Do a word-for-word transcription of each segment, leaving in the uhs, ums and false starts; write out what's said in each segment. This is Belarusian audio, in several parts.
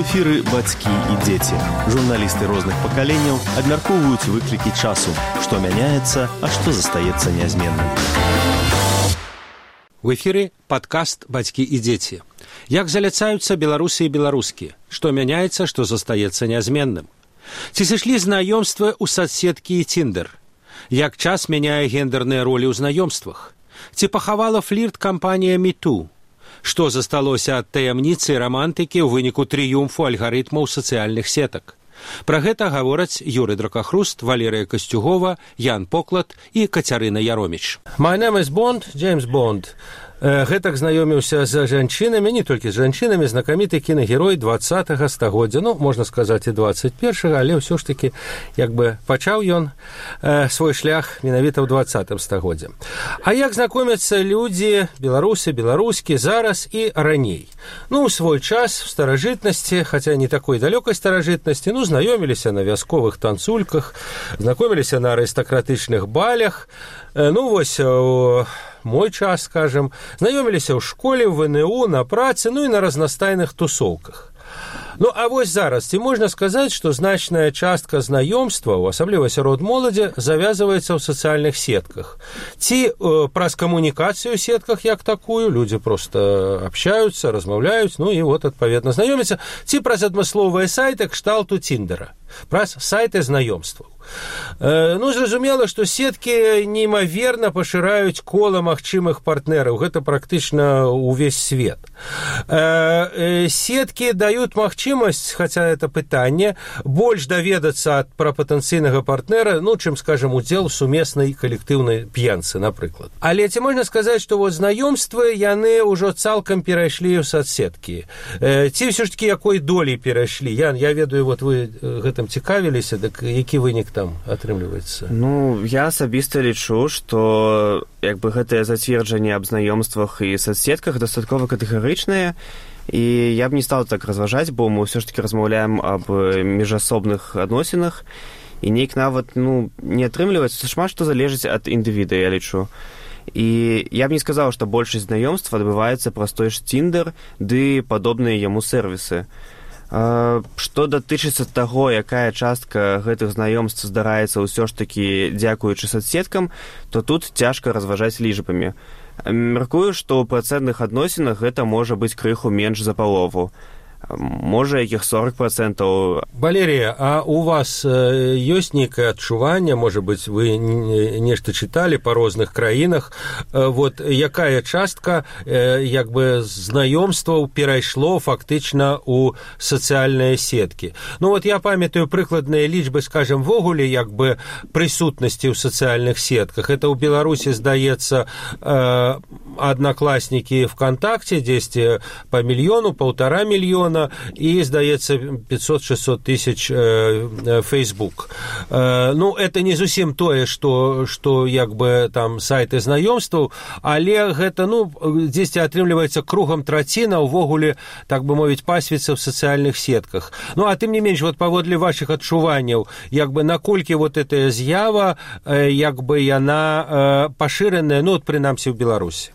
эфіры бацькі і дзеці. Журналісты розных пакаленняў абмяркоўваюць выклікі часу, што мяняецца, а што застаецца нязменным. В эфіры падкаст «Бацькі і дзеці». Як заляцаюцца беларусы і беларускі, што мяняецца, што застаецца нязменным. Ці сышлі знаёмствы ў садсеткі і Тиндер? Як час мяняе гендерныя ролі ў знаёмствах? Ці пахавала флірт кампанія «Мету»? Што засталося ад таямніцы і рамантыкі ў выніку трыумфу алгарытмаў сацыяльных сетак? Пра гэта гавораць Юрый Дракахруст, Валерыя Касцюгова, Ян Поклад і Кацярына Яроміч. My name is Bond, James Bond. Гэтак знаёміўся з жанчынамі, не толькі з жанчынамі, знакаміты кінагерой двадцатага стагоддзя, ну, можна сказаць, і двадцать першага, але ўсё ж такі, як бы, пачаў ён э, свой шлях менавіта ў двадцатым стагоддзе. А як знакомяцца людзі, беларусы, беларускі, зараз і раней? Ну, у свой час, в старажытнасці, хаця не такой далёкай старажытнасці, ну, знаёміліся на вясковых танцульках, знакоміліся на арыстакратычных балях, э, ну, вось, у мой час, скажем, знаёміліся ў школе, в эн у, на працы, ну і на разнастайных тусоўках. Ну, а вось зараз, ці можна сказаць, што значная частка знаёмстваў, асабліва сярод моладзі, завязваецца ў сацыяльных сетках. Ці э, праз камунікацыю ў сетках як такую, людзі проста абщаюцца, размаўляюць, ну і вот, адпаведна, знаёмяцца, ці праз адмысловыя сайты кшталту Тиндера, праз сайты знаёмстваў. Э, ну, зразумела, што сеткі неймаверна пашыраюць кола магчымых партнераў. Гэта практычна ўвесь свет. Э, э, сеткі даюць магчымасць, хаця это пытанне, больш даведацца пра патэнцыйнага партнера, ну, чым, скажем, удзел у сумеснай калектыўнай п'янцы, напрыклад. Але ці можна сказаць, што вот знаёмствы, яны ўжо цалкам перайшлі ў садсеткі? Э, ці ўсё ж такі якой долей перайшлі? Ян, я ведаю, вот вы гэтым цікавіліся, дык які вынік там атрымліваецца? Ну, я асабіста лічу, што як бы гэтае зацверджанне аб знаёмствах і садсетках дастаткова катэгарычнае, і я б не стал так разважаць, бо мы ўсё ж таки размаўляем аб міжасобных адносінах, і нейк нават, ну, не атрымліваецца, шмат што залежыць ад індывіда, я лічу. І я б не сказаў, што большасць знаёмств адбываецца праз той ж Тиндер ды падобныя яму сервісы. Што датычыцца таго, якая частка гэтых знаёмств здараецца ўсё ж такі дзякуючы садсеткам, то тут цяжка разважаць лічбамі. Мяркую, што ў працэнтных адносінах гэта можа быць крыху менш за палову. Можа, якіх сорок процентаў. Валерія, а у вас ёсць нейкае адчуванне, можа быць, вы нешта чыталі па розных краінах, вот якая частка як бы знаёмстваў перайшло фактычна ў сацыяльныя сеткі? Ну вот я памятаю прыкладныя лічбы, скажем, вогуле як бы прысутнасці ў сацыяльных сетках. Это ў Беларусі, здаецца, аднакласнікі ВКонтакте, дзесьці па мільёну, паўтара мільёна, и, здаецца, пятьсот-шестьсот тысяч э, Facebook. Э, ну, это не зусім тое, што, што як бы там сайты знаёмстваў, але гэта, ну, дзесьці атрымліваецца кругам траціна ўвогуле, так бы мовіць, пасвіцца ў сацыяльных сетках. Ну, а тым не менш, вот паводле вашых адчуванняў, як бы наколькі вот эта з'ява, э, як бы яна э, пашыраная, ну, вот, прынамсі, ў Беларусі?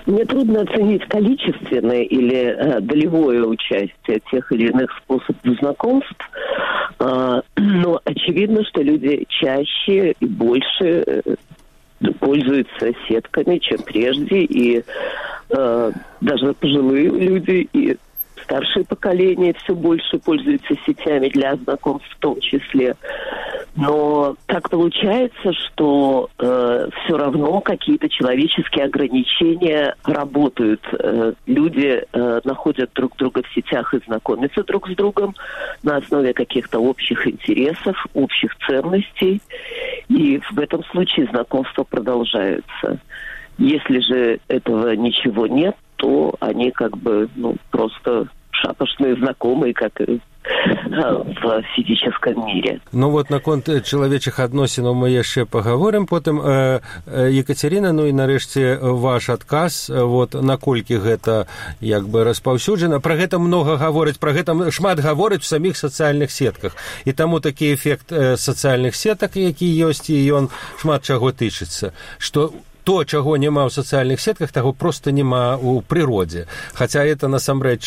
Мне трудно оценить количественное или э, долевое участие тех или иных способов знакомств, э, но очевидно, что люди чаще и больше э, пользуются сетками, чем прежде, и э, даже пожилые люди и старшее поколение все больше пользуются сетями для знакомств в том числе. Но так получается, что э, все равно какие-то человеческие ограничения работают. Э, люди э, находят друг друга в сетях и знакомятся друг с другом на основе каких-то общих интересов, общих ценностей. И в этом случае знакомства продолжаются. Если же этого ничего нет, то они как бы, ну, просто шапошные знакомые, как и в фізічным мире. Ну вот наконт чалавечых адносінаў мы яшчэ пагаворым потым. Э, э, Екатерина, ну і нарэшце ваш адказ, вот наколькі гэта як бы распаўсюджана. Пра гэта многа гаворыць, пра гэта шмат гаворыць у саміх сацыяльных сетках. І таму такі эфект э, сацыяльных сетак, які ёсць, і ён шмат чаго тычыцца, што то, чаго няма ў сацыяльных сетках, таго проста няма ў прыродзе. Хаця это насамрэч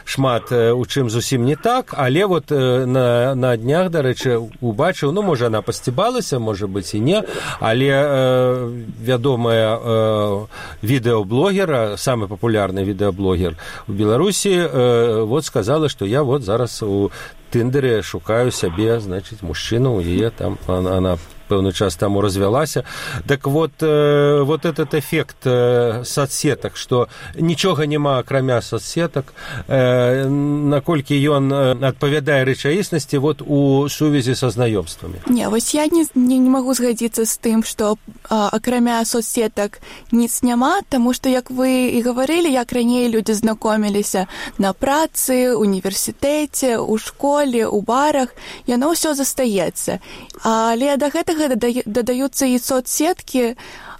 шмат у чым зусім не так, але вот на, на днях, дарэчы, убачыў, ну, можа, она пасцібалася, можа быць і не, але э, вядомая э, відэаблогера, самы папулярны відэаблогер у Беларусі, э, вот сказала, што я вот зараз у Тиндере шукаю сябе, значыць, мужчыну, у яе там, она, она пэўны час таму развялася. Так вот, э, вот этот эффект э, соцсетак, што нічога няма акрамя соцсетак, э, наколькі ён адпавядае рэчаіснасці вот у сувязі са знаёмствамі. Не, вось я не, не, не магу згадзіцца з тым, што а, акрамя соцсетак ніц няма, таму што, як вы і гаварылі, як раней людзі знакоміліся на працы, універсітэце, у школе, у барах, яно ўсё застаецца. Але да гэтага дадаюцца і соцсеткі,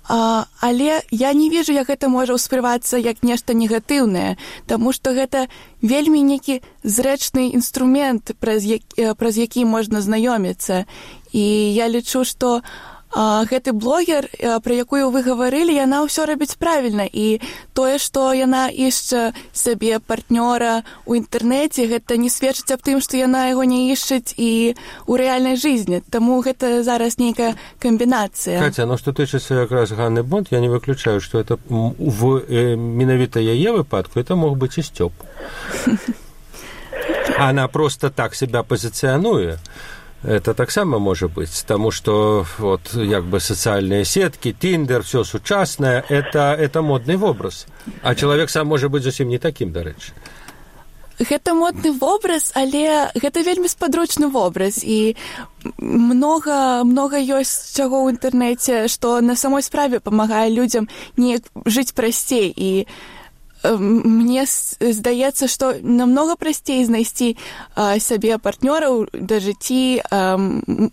але я не вижу, як гэта можа ўспрымацца як нешта негатыўнае, таму што гэта вельмі нейкі зрэчны інструмент, праз які, праз які можна знаёміцца. І я лічу, што а, гэты блогер, а, пра якую вы гаварылі, яна ўсё робіць правільна. І тое, што яна ішча сабе партнёра ў інтэрнэце, гэта не сведчыць аб тым, што яна яго не ішчыць і ў рэальнай жизни. Таму гэта зараз нейкая камбінацыя. Катя, ну што тычыцца якраз Ганны Бонд, я не выключаю, што это в э, менавіта яе выпадку это мог быць і Сцёп. Она просто так себя позиционуе. Это таксама можа быць, таму што вот як бы сацыяльныя сеткі, Тиндер, всё сучаснае, это, это модны вобраз. А чалавек сам можа быць зусім не такім, дарэчы. Гэта модны вобраз, але гэта вельмі спадручны вобраз, і многа, многа ёсць чаго ў інтэрнэце, што на самой справе памагае людзям неяк жыць прасцей, і мне здаецца, што намнога прасцей знайсці а, сабе партнёраў да жыцці, а,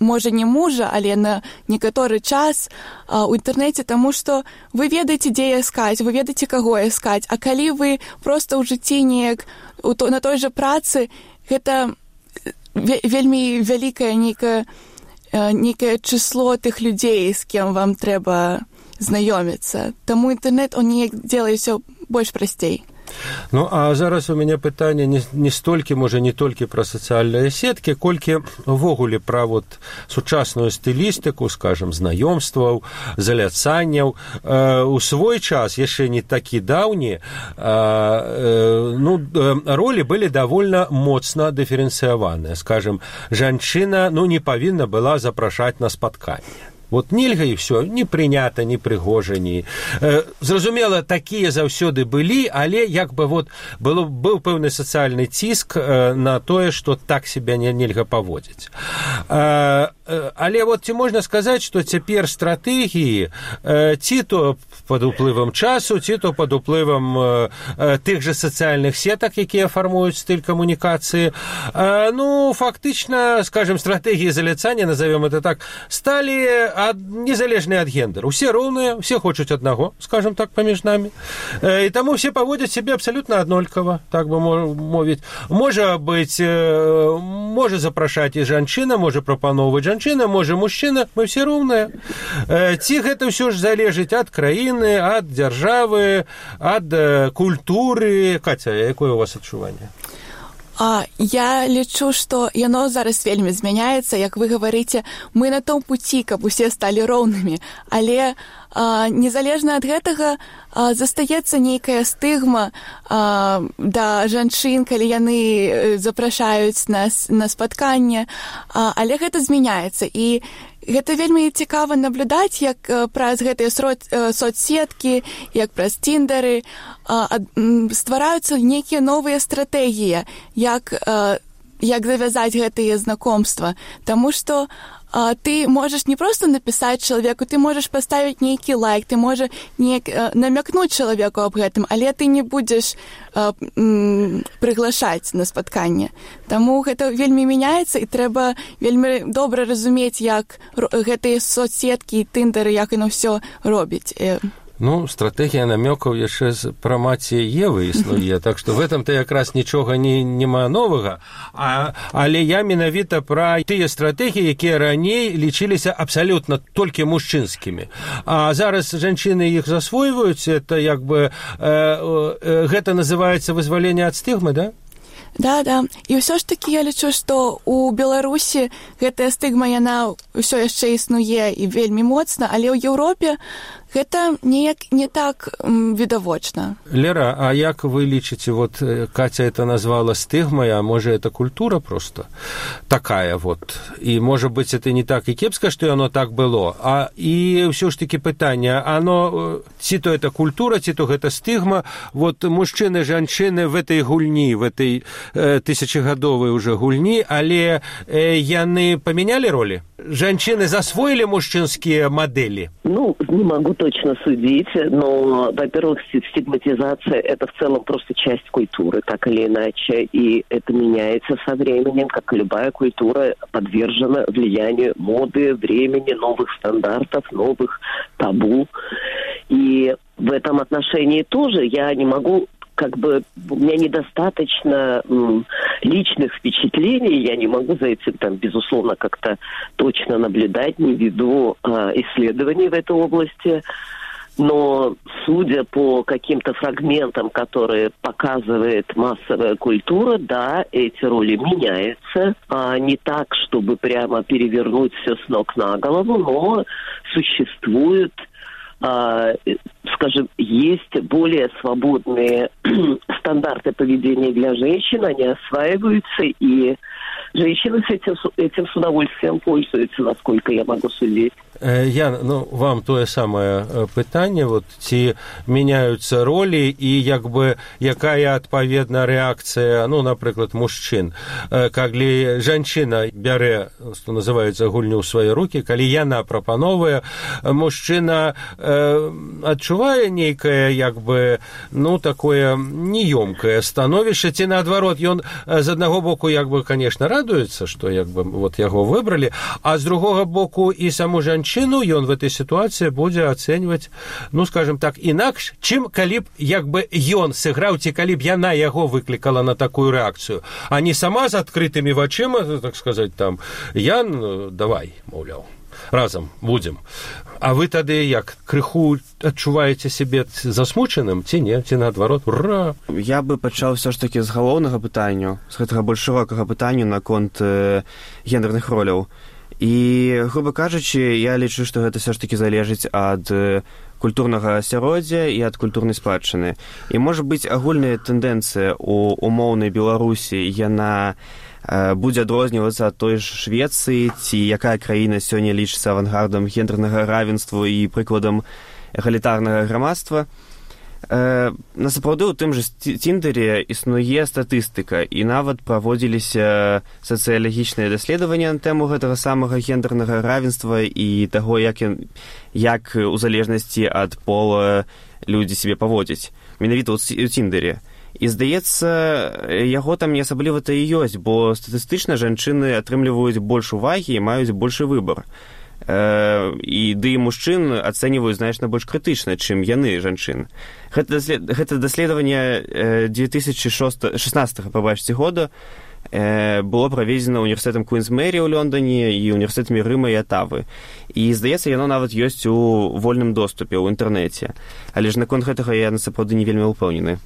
можа не мужа, але на некаторы час а, у інтэрнэце, таму што вы ведаеце, дзе іскаць, вы ведаеце, каго іскаць, а калі вы проста ў жыцці неяк то, на той жа працы, гэта вельмі вялікае нейкае, нейкае число тых людзей, з кем вам трэба знаёміцца. Таму інтэрнэт, он неяк делае ўсё больш прасцей. Ну, а зараз у мяне пытанне не, не столькі, можа, не толькі пра сацыяльныя сеткі, колькі ўвогуле пра вот сучасную стылістыку, скажем, знаёмстваў, заляцанняў. Э, у свой час, яшчэ не такі даўні, э, э, ну, ролі былі давольна моцна дыферэнцыяваныя. Скажем, жанчына, ну, не павінна была запрашаць на спатканне. Вот нельга і ўсё, не прынята, не прыгожа, не... Э, зразумела, такія заўсёды былі, але як бы вот было, быў пэўны сацыяльны ціск э, на тое, што так себя не, нельга паводзіць. Э, э, але вот ці можна сказаць, што цяпер стратэгіі э, ці то пад уплывам часу, ці то пад уплывам э, э, тых жа сацыяльных сетак, якія фармуюць стыль камунікацыі, э, ну, фактычна, скажем, стратэгіі заляцання, назовем это так, сталі ад, незалежныя ад гендеру. Усе роўныя, усе хочуць аднаго, скажем так, паміж намі. Э, і таму все паводзяць сябе абсалютна аднолькава, так бы мовіць. Можа быць, э, можа запрашаць і жанчына, можа прапаноўваць жанчына, можа мужчына, мы все роўныя. Э, ці гэта ўсё ж залежыць ад краіны, ад дзяржавы, ад э, культуры. Катя, якое у вас адчуванне? А, я лічу, што яно зараз вельмі змяняецца, як вы гаварыце, мы на том пуці, каб усе сталі роўнымі, але а, незалежна ад гэтага а, застаецца нейкая стыгма а, да жанчын, калі яны запрашаюць нас на спатканне, а, але гэта змяняецца, і гэта вельмі цікава наблюдаць, як праз гэтыя соцсеткі, як праз Тиндеры ствараюцца нейкія новыя стратэгіі, як, як завязаць гэтыя знакомства. Таму што а, ты можаш не проста напісаць чалавеку, ты можаш паставіць нейкі лайк, ты можаш неяк намякнуць чалавеку аб гэтым, але ты не будзеш а, м, прыглашаць на спатканне. Таму гэта вельмі мяняецца, і трэба вельмі добра разумець, як гэтыя соцсеткі і Тиндеры, як яно ўсё робіць. Ну, стратегія намёкаў яшчэ з пра маці Евы існуе, так што в этом-то якраз нічога не, няма новага, а, але я менавіта пра тыя стратэгіі, якія раней лічыліся абсалютна толькі мужчынскімі. А зараз жанчыны іх засвойваюць, это як бы, э, э, гэта называецца вызваленне ад стыгмы, да? Да, да. І ўсё ж такі я лічу, што ў Беларусі гэтая стыгма, яна ўсё яшчэ існуе і вельмі моцна, але ў Еўропе гэта неяк не так м, відавочна. Лера, а як вы лічыце, вот Катя это назвала стыгмай, а можа это культура просто такая вот. І можа быць это не так і кепска, што яно так было, а і ўсё ж такі пытанне, оно ці то это культура, ці то гэта стыгма, вот мужчыны, жанчыны в этой гульні, в этой э, тысячагадовай уже гульні, але э, яны памянялі ролі? Жанчыны засвоілі мужчынскія мадэлі? Ну, не могу точно судить, но, во-первых, стигматизация – это в целом просто часть культуры, так или иначе, и это меняется со временем, как и любая культура подвержена влиянию моды, времени, новых стандартов, новых табу. И в этом отношении тоже я не могу... как бы у меня недостаточно м, личных впечатлений, я не могу за этим, там, безусловно, как-то точно наблюдать, не веду а, исследований в этой области, но судя по каким-то фрагментам, которые показывает массовая культура, да, эти роли меняются, а не так, чтобы прямо перевернуть все с ног на голову, но существует, Uh, скажем, есть более свободные стандарты поведения для женщин, они осваиваются, и женщины с этим, этим с удовольствием пользуются, насколько я могу судить. Я, ну, вам тое самае пытанне, вот, ці мяняюцца ролі і як бы якая адпаведна рэакцыя, ну, напрыклад, мужчын. Калі жанчына бярэ, што называецца, гульню ў свае рукі, калі яна прапановае, мужчына э, адчувае нейкае, як бы, ну, такое неёмкае становішча, ці наадварот, ён з аднаго боку, як бы, конечно, радуецца, што, як бы, вот, яго выбралі, а з другога боку і саму жанчыну ён в этой сітуацыі будзе ацэньваць, ну, скажем так, інакш, чым калі б, як бы, ён сыграў, ці калі б яна яго выклікала на такую рэакцыю, а не сама з адкрытымі вачыма, так сказаць, там, Ян, давай, маўляў, разам будзем. А вы тады як, крыху адчуваеце сябе засмучаным, ці не, ці наадварот, ура! Я бы пачаў все ж такі з галоўнага пытання, з гэтага больш шырокага пытання наконт э, гендерных роляў. І, грубо кажучы, я лічу, што гэта все ж такі залежыць ад культурнага асяроддзя і ад культурнай спадчыны. І, можа быць, агульная тэндэнцыя ў умоўнай Беларусі, яна э, будзе адрознівацца ад той ж Швецыі, ці якая краіна сёння лічыцца авангардам гендернага равенства і прыкладам эгалітарнага грамадства. Э, насапраўды ў тым жа Тіндэре існуе статыстыка, і нават праводзіліся сацыялагічныя даследаванні на тэму гэтага самага гендернага равенства і таго, як, як у залежнасці ад пола людзі сябе паводзяць. Менавіта ў Тіндэре. І, здаецца, яго там не асабліва-то і ёсць, бо статыстычна жанчыны атрымліваюць больш увагі і маюць большы выбар. І ды і мужчын ацэньваюць значна больш крытычна, чым яны, жанчын. Гэта, даслед... гэта даследаванне две тысячи шестнадцатого, пабачце, года было праведзена універсітэтам Куінс Мэрі ў Лондоне і універсітэтамі Рыма і Атавы. І, здаецца, яно нават ёсць у вольным доступе ў інтэрнэце. Але ж наконт гэтага я насапраўды не вельмі ўпэўнены.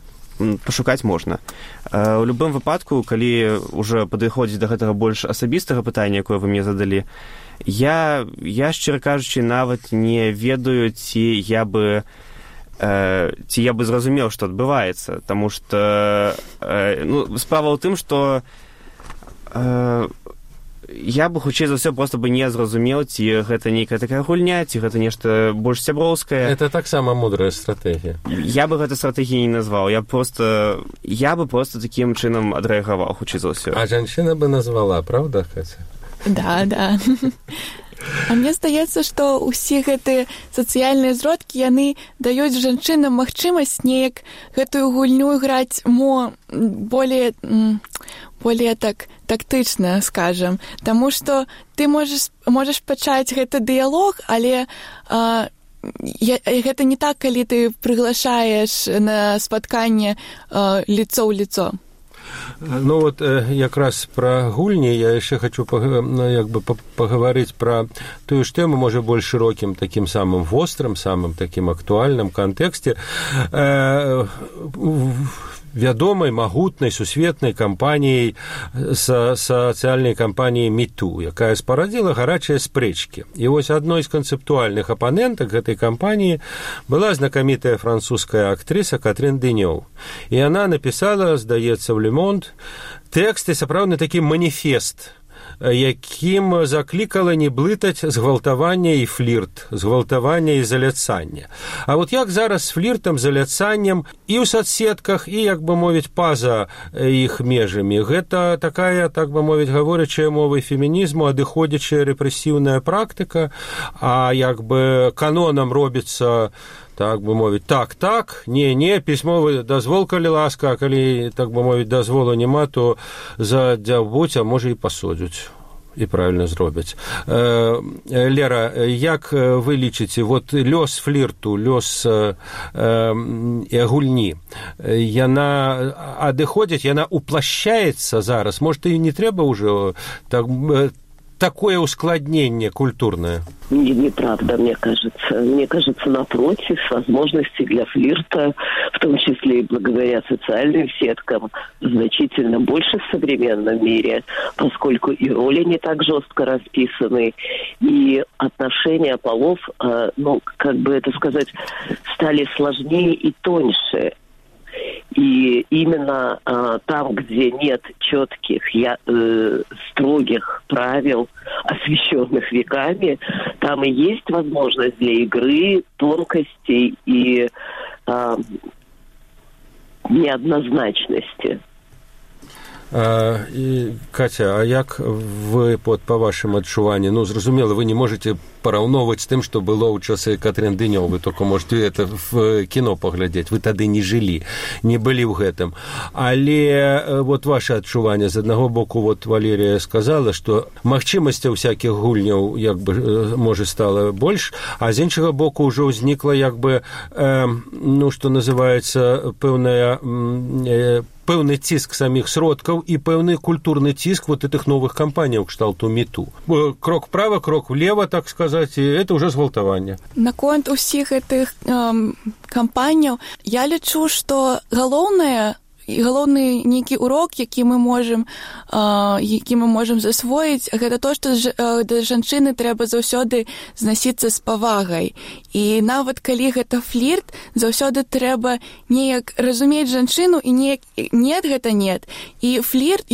Пашукаць можна. У любым выпадку, калі ўжо падыходзіць да гэтага больш асабістага пытання, якое вы мне задалі, я, я шчыра кажучы, нават не ведаю, ці я бы э, ці я бы зразумеў, што адбываецца, таму што э, ну, справа ў тым, што э, я бы, хутчэй за ўсё, проста бы не зразумеў, ці гэта нейкая такая гульня, ці гэта нешта больш сяброўскае. Это таксама мудрая стратэгія. Я бы гэта стратэгіяй не назваў. Я просто, я бы просто такім чынам адрэагаваў, хутчэй за ўсё. А жанчына бы назвала, правда, Катя? Да, да. А мне здаецца, што ўсе гэтыя сацыяльныя зродкі, яны даюць жанчынам магчымасць неяк гэтую гульню граць мо более, более так тактычна, скажам. Таму што ты можаш, можаш пачаць гэты дыялог, але а, я, гэта не так, калі ты прыглашаеш на спатканне э, лицо ў лицо. Ну вот якраз пра гульні я яшчэ хочу як бы пагаварыць пра тую ж тэму, можа, больш шырокім, такім самым вострым, самым такім актуальным кантэксце э, вядомай, магутнай, сусветнай кампаніяй, са, сацыяльнай кампаніяй міту, якая спарадзіла гарачыя спрэчкі. І вось адной з канцэптуальных апанентак гэтай кампаніі была знакамітая французская актрыса Катрин Денёв. І яна напісала, здаецца, в Le Monde тэксты, сапраўдны такі маніфест, якім заклікала не блытаць згвалтавання і флірт, згвалтавання і заляцання. А вот як зараз з фліртам, заляцаннем і ў соцсетках, і, як бы мовіць, па-за іх межамі. Гэта такая, так бы мовіць, гаворачая мовай фемінізму, адыходзячая рэпрэсіўная практыка, а як бы канонам робіцца, так бы мовіць, так, так, не, не, пісьмовы дазвол, калі ласка, а калі, так бы мовіць, дазволу няма, то задзяўбуць, а можа і пасудзяць. І правильно зробяць. Э, Лера, як вы лічыце, вот лёс флірту, лёс э, э, гульні, яна адыходзіць, яна уплашчаецца зараз? Может, і не трэба ўжо так, такое ускладнение культурное? Не, неправда, мне кажется. Мне кажется, напротив, возможности для флирта, в том числе и благодаря социальным сеткам, значительно больше в современном мире, поскольку и роли не так жестко расписаны, и отношения полов, ну, как бы это сказать, стали сложнее и тоньше. И именно э, там, где нет четких, я, э, строгих правил, освещенных веками, там и есть возможность для игры, тонкостей и э, неоднозначности. А, і, Катя, а як вы, под, по вашым адчуванні, ну, зразумела, вы не можете параўноўваць з тым, што было ў часы Катрин Денёв, вы только можете это в кіно паглядзець, вы тады не жылі, не былі ў гэтым. Але вот ваше адчуванне, з аднаго боку, вот Валерія сказала, што магчымасцяў всякіх гульняў, як бы, можа, стала больш, а з іншага боку ўжо ўзнікла, як бы, э, ну, што называецца, пэўная э, пэўны ціск саміх сродкаў і пэўны культурны ціск вот этих новых кампаніяў кшталту міту. Крок вправо, крок влево, так сказать, і это уже згвалтаванне. Наконт усіх гэтых эм, кампаніяў я лічу, што галоўнае галоўны нейкі урок, які мы можам э, які мы можам засвоіць, гэта то, што ж, э, да жанчыны трэба заўсёды знасіцца з павагай. І нават калі гэта флірт, заўсёды трэба неяк разумець жанчыну і неяк нет, гэта нет. І флірт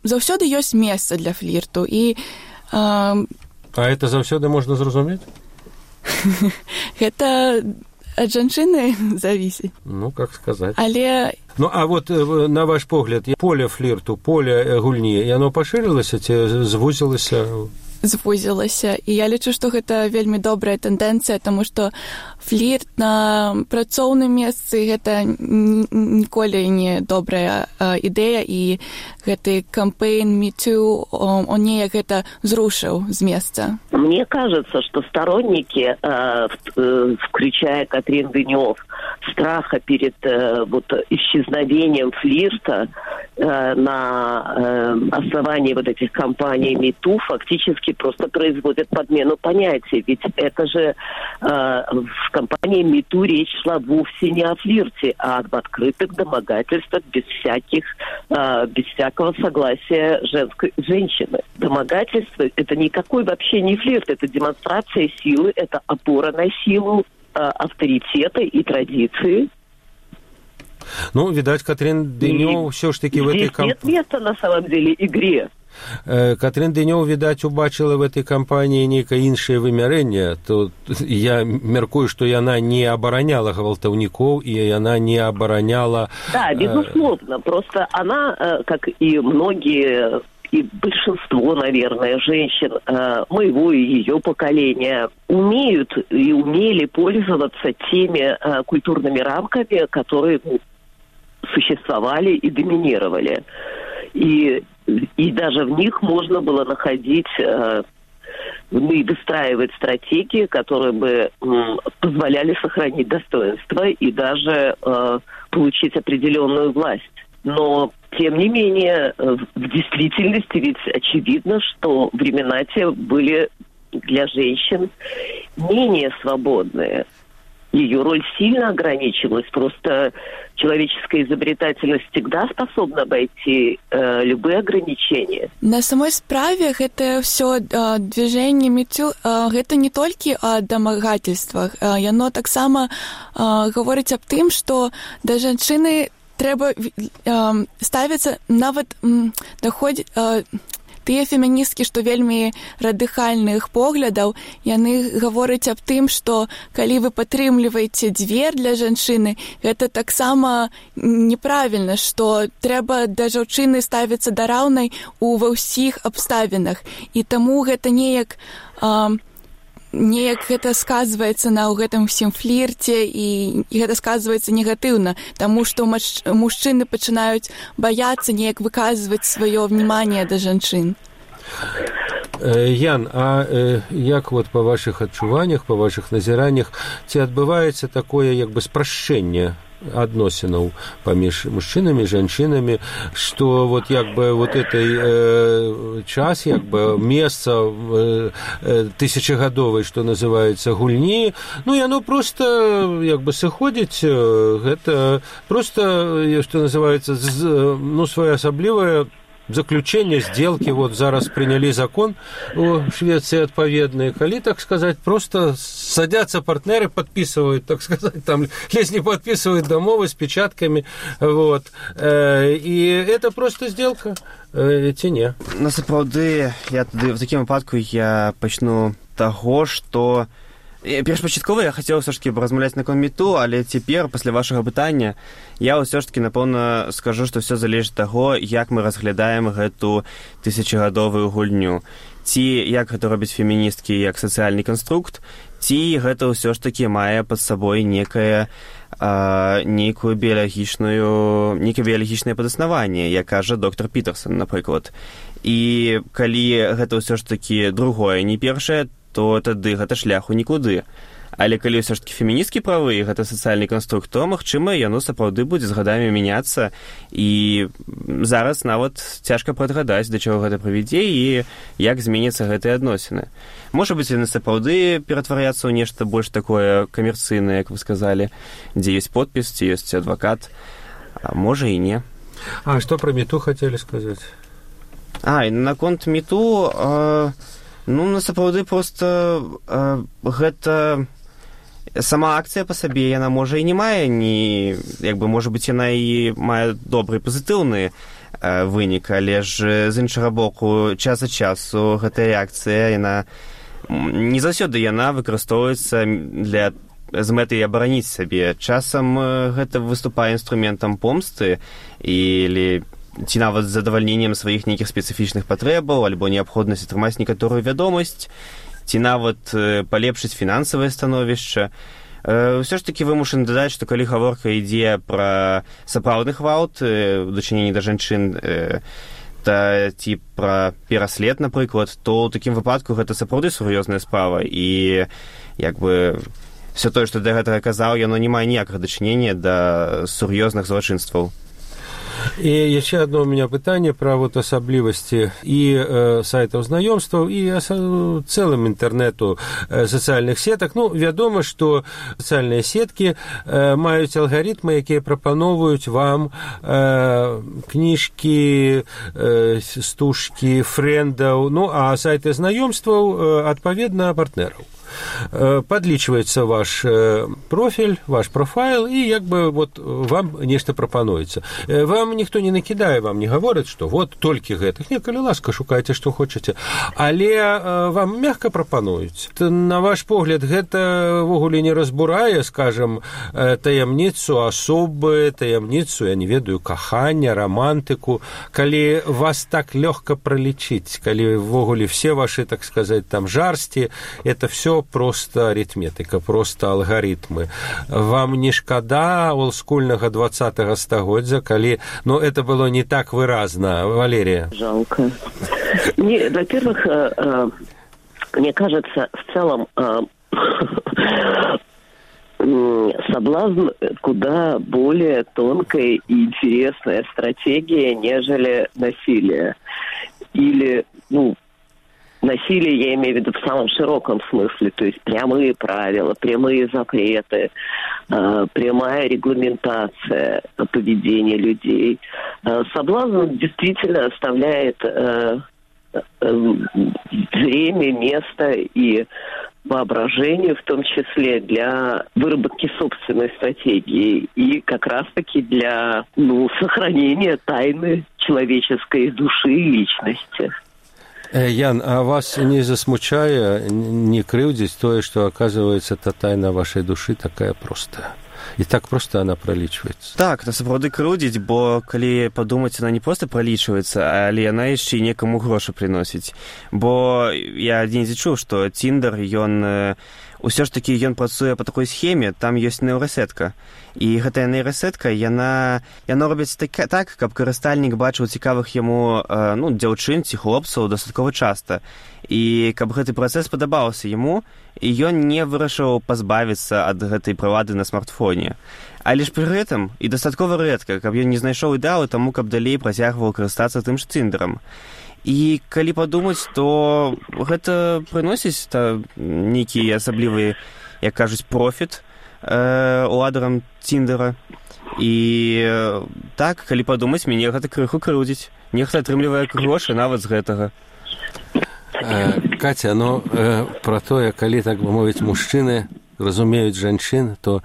заўсёды ёсць месца для флірту. І э, а это заўсёды можна зразумець? Гэта ад жанчыны завісіць. Ну, как сказаць. Але ну, а вот на ваш погляд, поле флірту, поле гульні, яно пашырылася ці звузілася? Звузілася. І я лічу, што гэта вельмі добрая тэндэнцыя, таму што флірт на працоўным месцы гэта ніколі не добрая э, ідэя, і гэты кампейн Me Too, он, он неяк гэта зрушыў з месца. Мне кажется, что сторонники, э, э, включая Катрин Денёв, страха перед э, вот, исчезновением флирта э, на э, основании вот этих кампаний Me Too фактически просто производят подмену понятий. Ведь это же э, в кампании Me Too речь шла вовсе не о флирте, а об открытых домогательствах без всяких, э, без всякого согласия женской, женщины. Домогательство – это никакой вообще не флирт, это демонстрация силы, это опора на силу, э, авторитета и традиции. Ну, видать, Катрин Денёв все ж таки в этой кампании... Здесь нет места, на самом деле, игре. Катрин Денёв, відаць, убачила в этой кампании некое іншае вымярэнне. То я мяркую, что яна не абараняла гвалтаўнікоў, и яна не абараняла... Да, безусловно. Просто она, как и многие, и большинство, наверное, женщин моего и ее поколения умеют и умели пользоваться теми культурными рамками, которые существовали и доминировали. И И даже в них можно было находить э, ну и выстраивать стратегии, которые бы м, позволяли сохранить достоинство и даже э, получить определенную власть. Но, тем не менее, в действительности ведь очевидно, что времена те были для женщин менее свободные. Ее роль сильно ограничилась. Просто человеческая изобретательность всегда способна обойти э, любые ограничения. На самой справе это все э, движение метю, э, это не только о домагательствах. Э, яно таксама э, говорить об тым, что до женщины трэба э, ставіцца нават э, даходзіць э, тыя феміністкі, што вельмі радыкальных поглядаў, яны гавораць аб тым, што калі вы падтрымліваеце дзвер для жанчыны, гэта таксама неправільна, што трэба да жанчыны ставіцца да раўнай у ва ўсіх абставінах. І таму гэта неяк э, неяк гэта сказваецца на ў гэтым усім флірце і, і гэта сказваецца негатыўна, таму што мач, мужчыны пачынаюць баяцца неяк выказваць сваё внимание да жанчын. Ян, а э, як вот па вашых адчуваннях, па вашых назіраннях, ці адбываецца такое як бы спрашчэнне адносінаў паміж мужчынамі і жанчынамі, што вот як бы вот этой э, час, як бы месца э, э, тысячагадовай, што называецца, гульні, ну яно просто як бы сыходзіць, гэта просто, што называецца, ну своеасаблівае заключение сделки, вот зараз приняли закон у Швеции отповедный, коли, так сказать, просто садятся партнеры, подписывают, так сказать, там, если не подписывают домовы с печатками, вот, и это просто сделка, ці не. Насправді, я тоді, в такому випадку я почну того, що першапачаткова я хацеў ўсё ж такі размаўляць наконт мету, але цяпер, пасля вашага пытання, я ўсё ж такі, напэўна, скажу, што ўсё залежыць ад таго, як мы разглядаем гэту тысячагадовую гульню. Ці як гэта робяць феміністкі як сацыяльны канструкт, ці гэта ўсё ж такі мае пад сабой некае а, нейкую біялагічную, нейкае біялагічнае падаснаванне, як кажа доктор Пітерсон, напрыклад. І калі гэта ўсё ж такі другое, не першае, то тады гэта шляху нікуды. Але калі ўсё ж такі феміністкі правы, гэта сацыяльны канструкт, то, магчыма, яно сапраўды будзе з гадамі мяняцца, і зараз нават цяжка прадгадаць, да чаго гэта прывядзе і як зменяцца гэтыя адносіны. Можа быць, яны сапраўды ператваряцца ў нешта больш такое камерцыйнае, як вы сказалі, дзе ёсць подпіс, ці ёсць адвакат, а можа і не. А што пра мету хацелі сказаць? А, і наконт мету... А... Ну, насапраўды, проста э, гэта сама акцыя па сабе, яна можа і не мае, ні, як бы, можа быць, яна і мае добры пазітыўны э, вынік, але ж з іншага боку, час ад часу гэтая реакцыя, яна не заўсёды яна выкарыстоўваецца для з мэтай абараніць сабе. Часам гэта выступае інструментам помсты или ці нават з задавальненнем сваіх нейкіх спецыфічных патрэбаў, альбо неабходнасць атрымаць некаторую вядомасць, ці нават палепшыць фінансавае становішча. Ўсё ж такі вымушаны дадаць, што калі гаворка ідзе пра сапраўдны гвалт у дачыненні да жанчын, та ці пра пераслед, напрыклад, то ў такім выпадку гэта сапраўды сур'ёзная справа, і як бы все тое, што да гэтага казаў, яно не мае ніякага дачынення да сур'ёзных злачынстваў. И еще одно у меня питание про вот особливости и э, сайтов знаёмстваў, и осо- целым интернету э, социальных сеток. Ну, вядома, что социальные сетки э, маюць алгаритмы, якія прапановваюць вам э, кніжкі, э, стужкі, фрэндаў, ну, а сайты знаёмстваў, э, адпаведна, партнераў. Подлічваецца ваш профіль, ваш профайл, і як бы вот вам нешта прапануецца. Вам ніхто не накідае, вам не гаворыць, што вот толькі гэтых. Не, калі ласка, шукайце, што хочаце. Але вам мякка прапануюць. На ваш погляд, гэта ввогуле не разбурае, скажам, таямніцу асобы, таямніцу, я не ведаю, кахання, романтыку. Калі вас так лёгка пралічыць, калі ввогуле все ваши, так сказать, там жарсці, это все просто аритметика, просто алгоритмы. Вам не шкада олдскульнага двадцатага стагоддзя, калі, ну, это было не так выразно, Валерия? Жалко. Не, во-первых, Мне кажется, в целом соблазн куда более тонкая и интересная стратегия, нежели насилие. Или, ну, насилие я имею в виду в самом широком смысле, то есть прямые правила, прямые запреты, э, прямая регламентация поведения людей. Э, соблазн действительно оставляет э, э, время, место и воображению, в том числе для выработки собственной стратегии и как раз-таки для, ну, сохранения тайны человеческой души и личности. Ян, а вас не засмучае, не крыўдзіць тое, што, оказывается, та тайна вашай душы такая простая? І так просто она пролічваецца. Так, на сапраўды крыўдзіць, бо калі падумаць, она не проста пролічваецца, але яна яшчэ і некаму грошы прыносіць. Бо я недзе чуў, што Tinder, ён усё ж такі ён працуе па такой схеме, там ёсць нейрасетка. І гэтая нейрасетка, яна, яна робіць так, так, каб карыстальнік бачыў цікавых яму ну, дзяўчын ці хлопцаў дастаткова часта. І каб гэты працэс падабаўся яму, і ён не вырашыў пазбавіцца ад гэтай прылады на смартфоне. Але ж пры гэтым і дастаткова рэдка, каб ён не знайшоў ідэалу таму, каб далей працягваў карыстацца тым ж Тиндерам. І калі падумаць, то гэта прыносіць та, нейкі асаблівы, як кажуць, профіт э, уладарам Тиндера. І э, так, калі падумаць, мяне гэта крыху крыўдзіць. Нехта атрымлівае грошы нават з гэтага. Э, Катя, ну, э, пра тое, калі, так бы мовіць, мужчыны разумеюць жанчын, то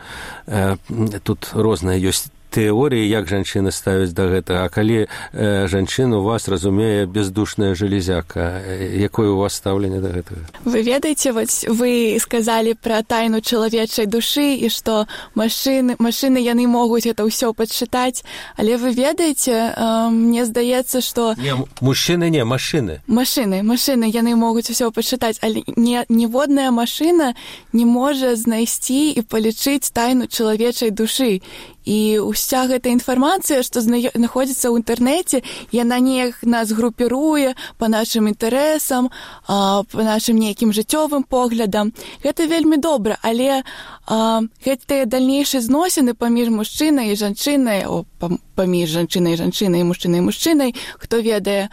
э, тут розныя ёсць тэорыі, як жанчыны ставяць да гэтага. А калі э, жанчына у вас разумее бездушная железяка, якое у вас стаўленне да гэтага? Вы ведаеце, вот вы сказалі пра тайну чалавечай душы і што машыны, машыны яны могуць гэта ўсё падчытаць, але вы ведаеце, э, мне здаецца, што... Не, мужчыны не, машыны. Машыны, машыны яны могуць усё падчытаць, але не, ніводная машына не можа знайсці і палічыць тайну чалавечай душы. І ўся гэта інфармацыя, што знаходзіцца ў інтэрнэце, яна неяк нас групіруе па нашым інтарэсам, па нашым нейкім жыццёвым поглядам. Гэта вельмі добра, але а, гэтыя дальнейшыя зносіны паміж мужчынай і жанчынай, о, паміж жанчынай і жанчынай, мужчынай і мужчынай, хто ведае,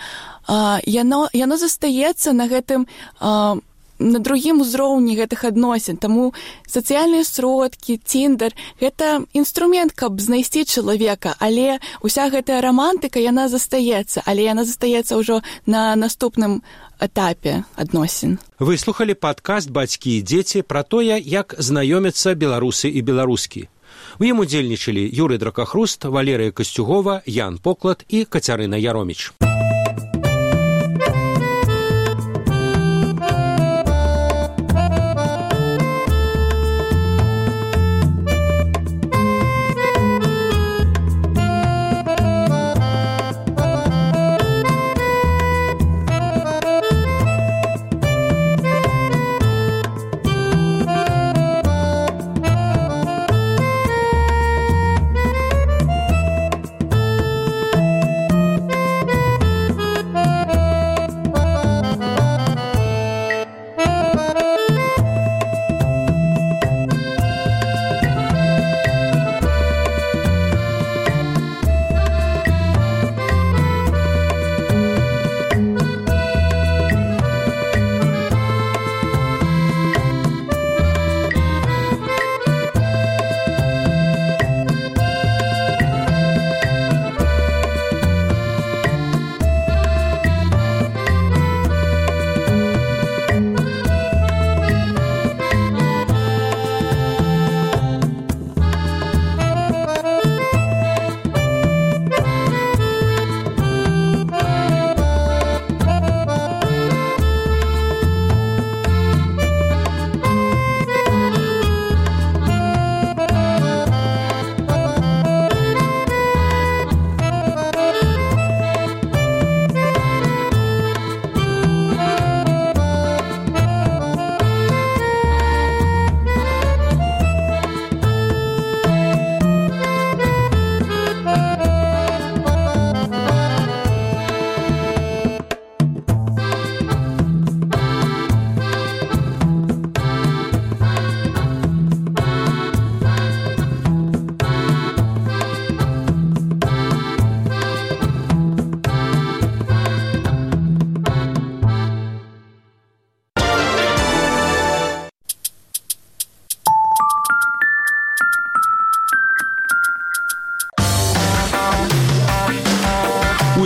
а, яно, яно застаецца на гэтым... А, на другім узроўні гэтых адносін. Таму сацыяльныя сродкі, Tinder — гэта інструмент, каб знайсці чалавека, але ўся гэтая рамантыка, яна застаецца, але яна застаецца ўжо на наступным этапе адносін. Вы слухалі падкаст «Бацькі і дзеці» пра тое, як знаёмяцца беларусы і беларускі. У ім удзельнічалі Юрый Дракахруст, Валерыя Касцюгова, Ян Поклад і Кацярына Яроміч.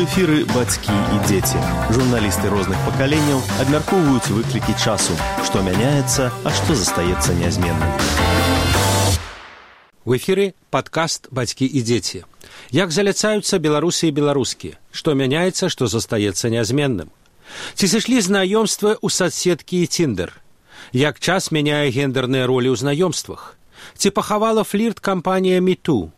эфіры бацькі і дзеці. Журналісты розных пакаленняў абмяркоўваюць выклікі часу, што мяняецца, а што застаецца нязменным. В эфіры падкаст «Бацькі і дзеці». Як заляцаюцца беларусы і беларускі, што мяняецца, што застаецца нязменным. Ці сышлі знаёмствы ў садсеткі і Тиндер? Як час мяняе гендерныя ролі ў знаёмствах? Ці пахавала флірт кампанія «Мету»?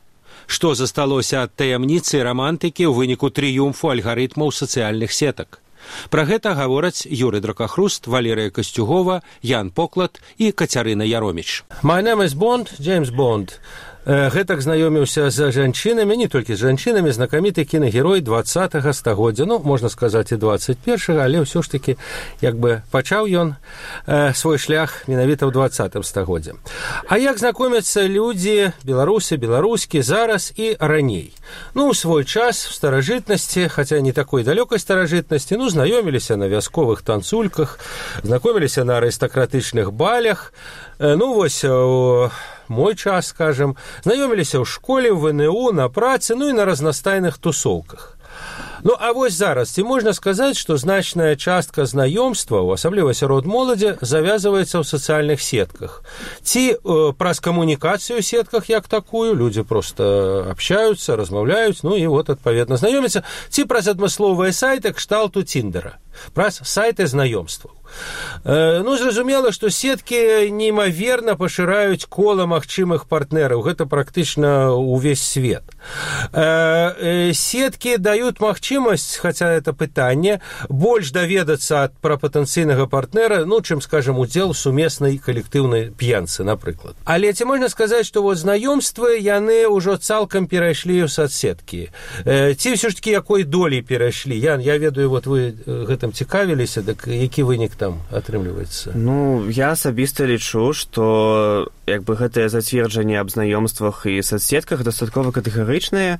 Што засталося ад таямніцы і рамантыкі ў выніку трыумфу алгарытмаў сацыяльных сетак? Пра гэта гавораць Юрый Дракахруст, Валерыя Касцюгова, Ян Поклад і Кацярына Яроміч. My name is Bond, James Bond. Гэтак знаёміўся з жанчынамі, не толькі з жанчынамі, знакаміты кінагерой двадцатага стагоддзя, ну, можна сказаць, і двадцать першага, але ўсё ж такі, як бы, пачаў ён э, свой шлях менавіта ў двадцатым стагоддзе. А як знакомяцца людзі, беларусы, беларускі, зараз і раней? Ну, ў свой час, в старажытнасці, хаця не такой далёкай старажытнасці, ну, знаёміліся на вясковых танцульках, знакоміліся на арыстакратычных балях, э, ну, вось, у мой час, скажем, знаёміліся ў школе, ў ВНУ, на працы, ну і на разнастайных тусоўках. Ну, а вось зараз, ці можна сказаць, што значная частка знаёмстваў, асабліва сярод моладзі, завязваецца ў сацыяльных сетках. Ці э, праз камунікацыю ў сетках як такую, людзі проста абщаюцца, размаўляюць, ну і вот, адпаведна, знаёмяцца, ці праз адмысловыя сайты кшталту Тиндера, праз сайты знаёмстваў. Э, ну, зразумела, што сеткі неймаверна пашыраюць кола магчымых партнераў. Гэта практычна ўвесь свет. Э, э, сеткі даюць магчымасць, хаця это пытанне, больш даведацца пра патэнцыйнага партнера, ну, чым, скажем, удзел у сумеснай калектыўнай п'янцы, напрыклад. Але ці можна сказаць, што вот знаёмствы, яны ўжо цалкам перайшлі ў садсеткі? Э, ці ўсё ж такі якой долей перайшлі? Ян, я ведаю, вот вы гэтым цікавіліся, так які вынік там атрымліваецца? Ну, я асабіста лічу, што як бы гэтае зацверджанне аб знаёмствах і садсетках дастаткова катэгарычнае,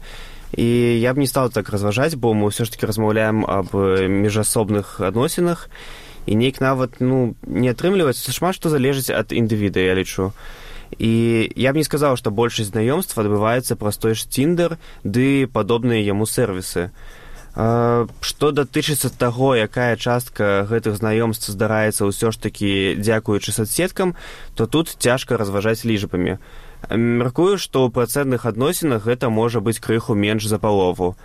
і я б не стаў так разважаць, бо мы ўсё ж таки размаўляем аб міжасобных адносінах, і нейк нават, ну, не атрымліваецца, шмат што залежыць ад індывіда, я лічу. І я б не сказаў, што большасць знаёмств адбываецца праз той ж Тиндер ды падобныя яму сервісы. Што датычыцца таго, якая частка гэтых знаёмств здараецца ўсё ж такі дзякуючы садсеткам, то тут цяжка разважаць лічбамі. Мяркую, што ў працэнтных адносінах гэта можа быць крыху менш за палову.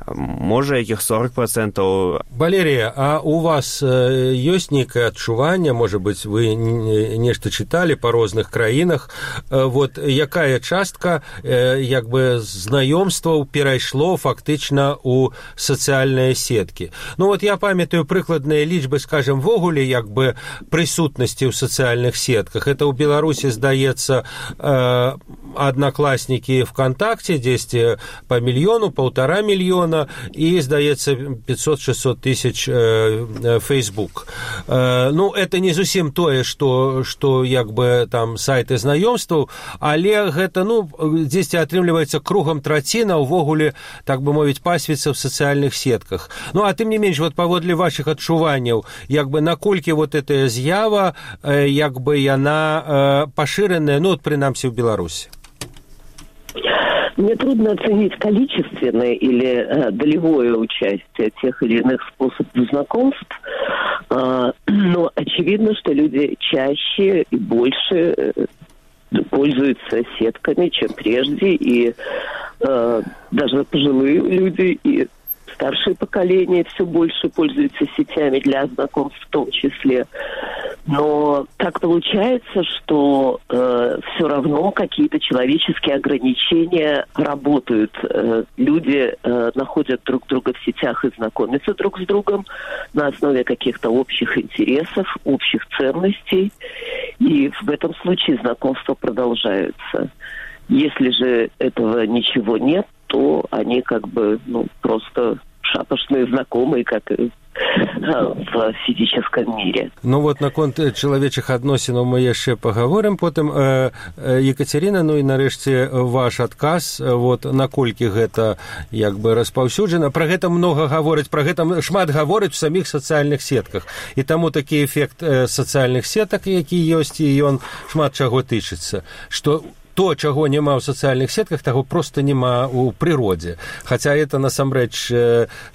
Можа, якіх сорок процентаў. Валерія, а у вас э, ёсць нейкае адчуванне, можа быць, вы нешта чыталі па розных краінах, э, вот якая частка э, як бы знаёмстваў перайшло фактычна ў сацыяльныя сеткі? Ну вот я памятаю прыкладныя лічбы, скажем, ввогуле як бы прысутнасці ў сацыяльных сетках. Это ў Беларусі, здаецца, э, аднакласнікі ВКонтакте, дзесьці па мільёну, паўтара мільёна, и, здаецца, пятьсот-шестьсот тысяч э, Facebook. Э, ну, это не зусім тое, што, што як бы там сайты знаёмстваў, але гэта, ну, дзесьці атрымліваецца кругам траціна ўвогуле, так бы мовіць, пасвіцца ў сацыяльных сетках. Ну, а тым не менш, вот паводле вашых адчуванняў, як бы наколькі вот эта з'ява, э, як бы яна э, пашыраная, ну, вот, прынамсі, ў Беларусі? Мне трудно оценить количественное или э, долевое участие тех или иных способов знакомств, э, но очевидно, что люди чаще и больше э, пользуются сетками, чем прежде, и э, даже пожилые люди и старшее поколение все больше пользуются сетями для знакомств в том числе. Но так получается, что э, все равно какие-то человеческие ограничения работают. Э, люди э, находят друг друга в сетях и знакомятся друг с другом на основе каких-то общих интересов, общих ценностей. И в этом случае знакомства продолжаются. Если же этого ничего нет, то они как бы, ну, просто шапошные знакомые, как и в фізічным мире. Ну вот наконт чалавечых адносінаў мы яшчэ пагаворым потым. э, э, Екатерина, ну і нарэшце ваш адказ, вот наколькі гэта як бы распаўсюджана. Пра гэта многа гаворыць, пра гэта шмат гаворыць у саміх сацыяльных сетках, і таму такі эфект э, сацыяльных сетак, які ёсць, і ён шмат чаго тычыцца, што то, чаго няма ў сацыяльных сетках, таго проста няма ў прыродзе. Хаця это насамрэч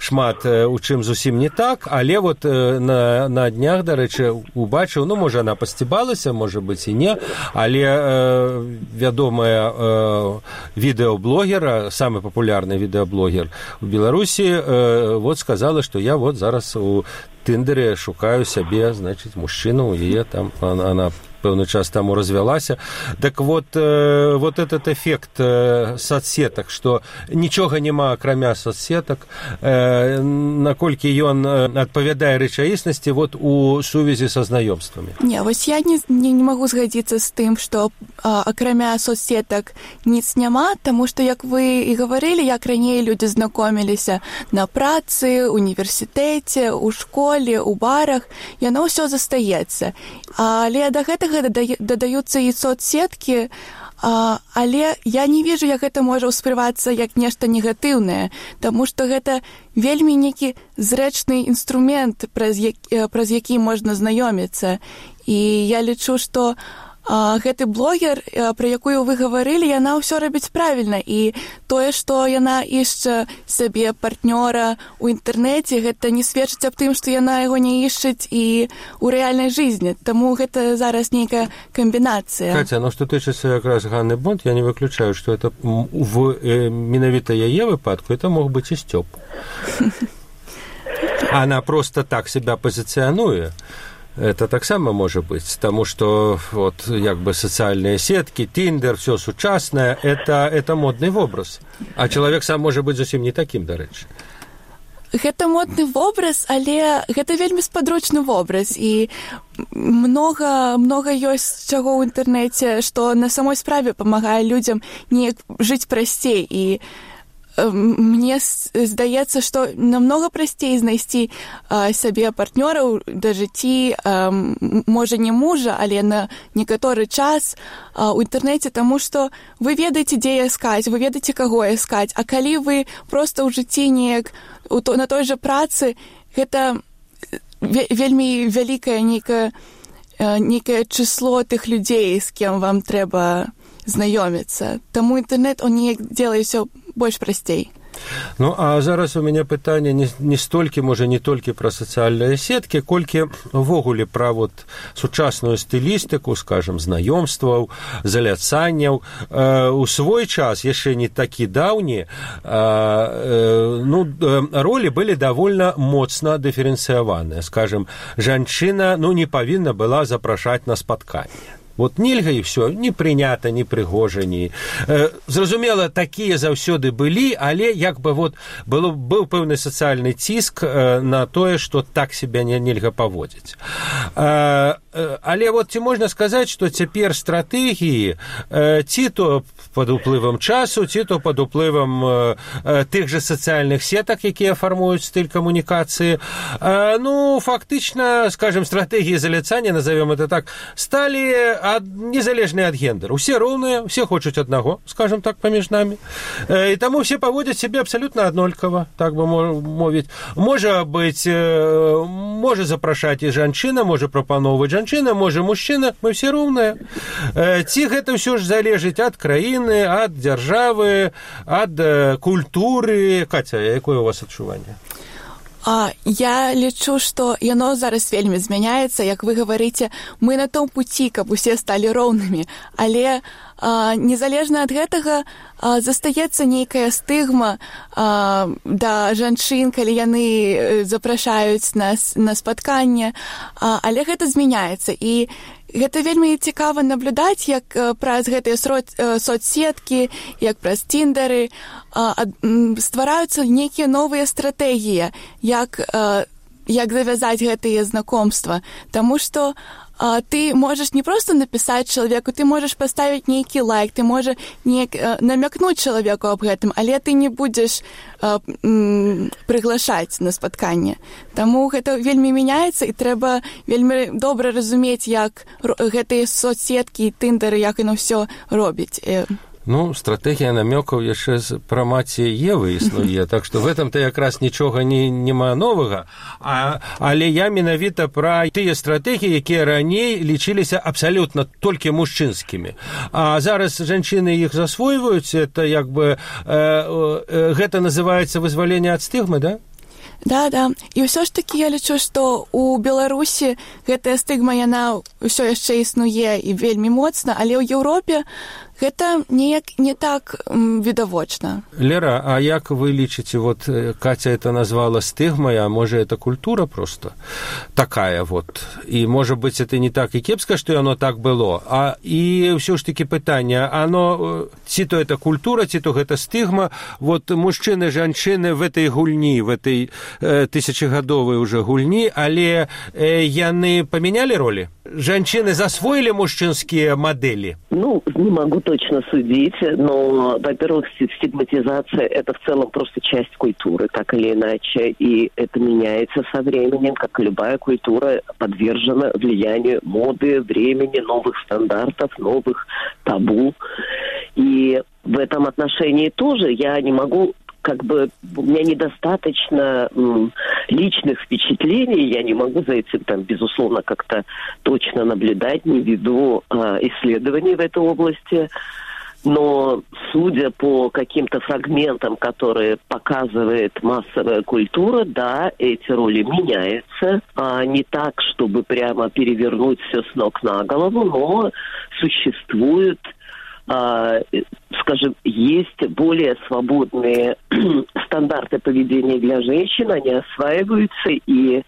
шмат у чым зусім не так, але вот на, на днях, дарэчы, убачыў, ну, можа, она пасцібалася, можа быць і не, але э, вядомая э, відэаблогера, самы папулярны відэаблогер у Беларусі, э, вот сказала, што я вот зараз у Тиндере шукаю сябе, значыць, мужчыну, яе там, она, она пэўны час таму развялася. Так вот, э, вот этот эффект э, соцсетак, што нічога няма акрамя соцсетак, э, наколькі ён адпавядае рэчаіснасці вот у сувязі са знаёмствамі. Не, вось я не, не, не магу згадзіцца з тым, што а, акрамя соцсетак ніц няма, таму што, як вы і гаварылі, як раней людзі знакоміліся на працы, універсітэце, у школе, у барах, яно ўсё застаецца. Але да гэтага дадаюцца і соцсеткі, а, але я не вижу, як гэта можа ўспрымацца як нешта негатыўнае, таму што гэта вельмі нейкі зрэчны інструмент, праз які, праз які можна знаёміцца. І я лічу, што а, гэты блогер, а, пра якую вы гаварылі, яна ўсё робіць правільна. І тое, што яна ішча сабе партнёра ў інтэрнэце, гэта не сведчыць аб тым, што яна яго не ішчыць і ў рэальнай жизни. Таму гэта зараз нейкая камбінацыя. Катя, ну што тычыцца якраз Ганны Бонд, я не выключаю, што это в э, менавіта яе выпадку это мог быць і Сцёп. Она просто так себя пазіцыянуе. Это таксама можа быць, таму што вот як бы сацыяльныя сеткі, Тиндер, всё сучаснае, это, это модны вобраз. А чалавек сам можа быць зусім не такім, дарэчы. Гэта модны вобраз, але гэта вельмі спадручны вобраз. І многа, многа ёсць чаго ў інтэрнэце, што на самой справе памагае людзям неяк жыць прасцей. І мне здаецца, што намнога прасцей знайсці а, сабе партнёраў да жыцці, а, можа не мужа, але на некаторы час а, у інтэрнэце, таму што вы ведаеце, дзе іскаць, вы ведаеце, каго іскаць. А калі вы проста ў жыцці неяк у то, на той жа працы, гэта вельмі вялікае нейкае, нейкае число тых людзей, з кем вам трэба знаёміцца. Таму інтэрнэт, он неяк делае ўсё больш прасцей. Ну, а зараз у мяне пытанне не, не столькі, можа, не толькі пра сацыяльныя сеткі, колькі ўвогуле пра вот сучасную стылістыку, скажем, знаёмстваў, заляцанняў. Э, у свой час, яшчэ не такі даўні, э, э, ну, ролі былі давольна моцна дыферэнцыяваныя. Скажем, жанчына, ну, не павінна была запрашаць на спатканне. Вот нельга і ўсё, не прынята, не прыгожа, не... Э, зразумела, такія заўсёды былі, але як бы вот было, быў пэўны сацыяльны ціск э, на тое, што так себя не, нельга паводзіць. Э, э, але вот ці можна сказаць, што цяпер стратэгіі э, ці то пад уплывам часу, ці то пад уплывам э, э, тых жа сацыяльных сетак, якія фармуюць стыль камунікацыі, э, ну, фактычна, скажем, стратэгіі заляцання, назовем это так, сталі ад, незалежныя ад гендера. Усе роўныя, усе хочуць аднаго, скажем так, паміж намі. Э, і таму все паводзяць сябе абсалютна аднолькава, так бы мовіць. Можа быць, э, можа запрашаць і жанчына, можа прапаноўваць жанчына, можа мужчына, мы все роўныя. Э, ці гэта ўсё ж залежыць ад краіны, ад дзяржавы, ад э, культуры. Катя, якое у вас адчуванне? А, я лічу, што яно зараз вельмі змяняецца, як вы гаварыце, мы на том пуці, каб усе сталі роўнымі, але а, незалежна ад гэтага а, застаецца нейкая стыгма а, да жанчын, калі яны запрашаюць нас на спатканне, а, але гэта змяняецца. І гэта вельмі цікава наблюдаць, як праз гэтыя соцсеткі, як праз Тиндеры ствараюцца нейкія новыя стратэгіі, як, як завязаць гэтыя знакомства. Таму што а, ты можаш не проста напісаць чалавеку, ты можаш паставіць нейкі лайк, ты можаш неяк намякнуць чалавеку аб гэтым, але ты не будзеш а, м, прыглашаць на спатканне. Таму гэта вельмі мяняецца, і трэба вельмі добра разумець, як гэтыя соцсеткі і Тиндеры, як яно ўсё робіць. Ну, стратегія намёкаў яшчэ з пра маці Евы існуе, так што в этом-то якраз нічога не, няма новага. А, але я менавіта пра тыя стратэгіі, якія раней лічыліся абсалютна толькі мужчынскімі. А зараз жанчыны іх засвойваюць, это як бы, э, э, гэта называецца вызваленне ад стыгмы, да? Да, да. І ўсё ж такі я лічу, што ў Беларусі гэтая стыгма, яна ўсё яшчэ існуе і вельмі моцна, але ў Еўропе гэта неяк не так відавочна. Лера, а як вы лічыце, вот Катя это назвала стыгмой, а можа это культура просто такая вот. І можа быць это не так і кепска, што яно так было, а і ўсё ж такі пытанне, оно ці то это культура, ці то гэта стыгма, вот мужчыны, жанчыны в этой гульні, в этой э, тысячагадовай уже гульні, але э, яны памянялі ролі? Жанчыны засвоілі мужчынскія мадэлі? Ну, не могу точно судить, но, во-первых, стигматизация – это в целом просто часть культуры, так или иначе, и это меняется со временем, как и любая культура подвержена влиянию моды, времени, новых стандартов, новых табу. И в этом отношении тоже я не могу... как бы у меня недостаточно м, личных впечатлений, я не могу за этим, там, безусловно, как-то точно наблюдать, не веду а, исследований в этой области, но судя по каким-то фрагментам, которые показывает массовая культура, да, эти роли меняются, а не так, чтобы прямо перевернуть все с ног на голову, но существуют, скажем, есть более свободные стандарты поведения для женщин, они осваиваются, и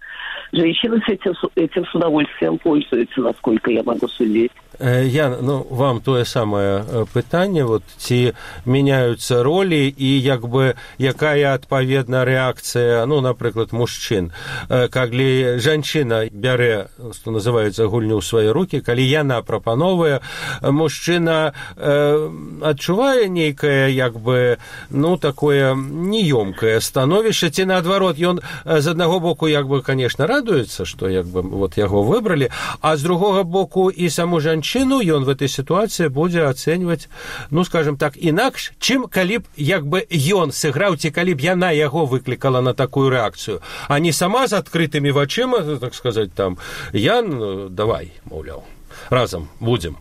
женщины с этим, этим с удовольствием пользуются, насколько я могу судить. Я, ну, вам тое самае пытанне, вот, ці мяняюцца ролі і як бы якая адпаведна рэакцыя, ну, напрыклад, мужчын. Калі жанчына бярэ, што называецца, гульню ў свае рукі, калі яна прапановае, мужчына э, адчувае нейкае, як бы, ну, такое неёмкае становішча, ці наадварот, ён з аднаго боку, як бы, конечно, радуецца, што, як бы, вот, яго выбралі, а з другога боку і саму жанчыну ён в этой сітуацыі будзе ацэньваць, ну, скажем так, інакш, чым калі б, як бы, ён сыграў, ці калі б яна яго выклікала на такую рэакцыю, а не сама з адкрытымі вачыма, так сказаць, там, Ян, давай, маўляў, разам будзем.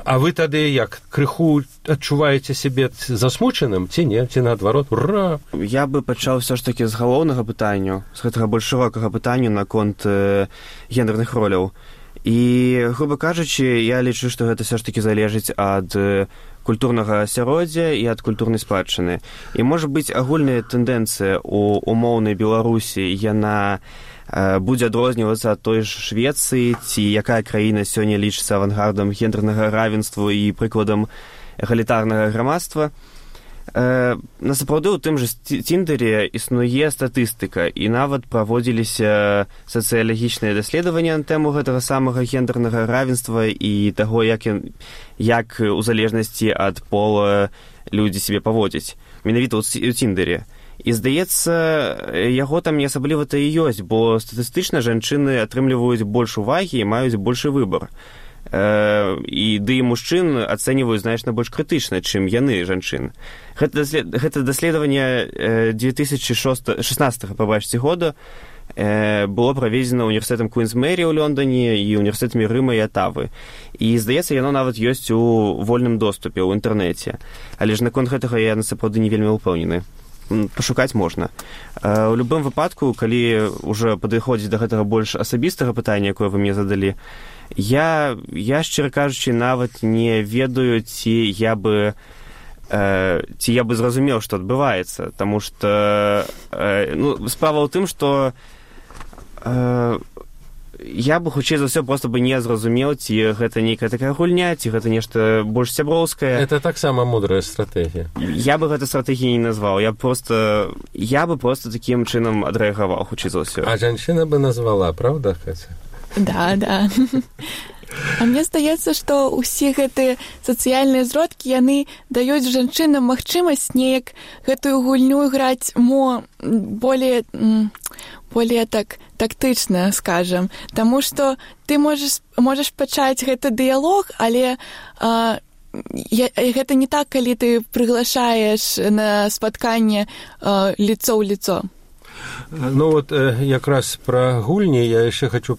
А вы тады як, крыху адчуваеце сябе засмучаным, ці не, ці наадварот, ура! Я бы пачаў все ж такі з галоўнага пытання, з гэтага больш шырокага пытання наконт э, гендерных роляў. І, грубо кажучы, я лічу, што гэта все ж такі залежыць ад культурнага асяроддзя і ад культурнай спадчыны. І, можа быць, агульная тэндэнцыя ў умоўнай Беларусі, яна э, будзе адрознівацца ад той ж Швецыі, ці якая краіна сёння лічыцца авангардам гендернага равенства і прыкладам эгалітарнага грамадства. Э, насапраўды ў тым жа Тіндэре існуе статыстыка, і нават праводзіліся сацыялагічныя даследаванні на тэму гэтага самага гендернага равенства і таго, як, як у залежнасці ад пола людзі сябе паводзяць. Менавіта ў Тіндэре. І, здаецца, яго там не асабліва-то і ёсць, бо статыстычна жанчыны атрымліваюць больш увагі і маюць большы выбар. І ды і мужчын ацэньваюць значна больш крытычна, чым яны, жанчын. Гэта, даслед... гэта даследаванне две тысячи шестнадцатого, пабачце, года было праведзена універсітэтам Куінс Мэрі ў Лондоне і універсітэтамі Рыма і Атавы. І, здаецца, яно нават ёсць у вольным доступе ў інтэрнэце. Але ж наконт гэтага я насапраўды не вельмі ўпэўнены. Пашукаць можна. У любым выпадку, калі ўжо падыходзіць да гэтага больш асабістага пытання, якое вы мне задалі, я, я шчыра кажучы, нават не ведаю, ці я бы э, ці я бы зразумеў, што адбываецца, таму што э, ну, справа ў тым, што э, я бы, хутчэй за ўсё, проста бы не зразумеў, ці гэта нейкая такая гульня, ці гэта нешта больш сяброўскае. Это таксама мудрая стратэгія. Я бы гэта стратэгіяй не назваў. Я просто, я бы просто такім чынам адрэагаваў, хутчэй за ўсё. А жанчына бы назвала, правда, Катя? Да, да. А мне здаецца, што ўсе гэтыя сацыяльныя зродкі, яны даюць жанчынам магчымасць неяк гэтую гульню іграць мо более, более так тактычна, скажам. Таму што ты можаш, можаш пачаць гэты дыялог, але а, я, гэта не так, калі ты прыглашаеш на спатканне э, лицо ў лицо. Ну вот якраз пра гульні я яшчэ хочу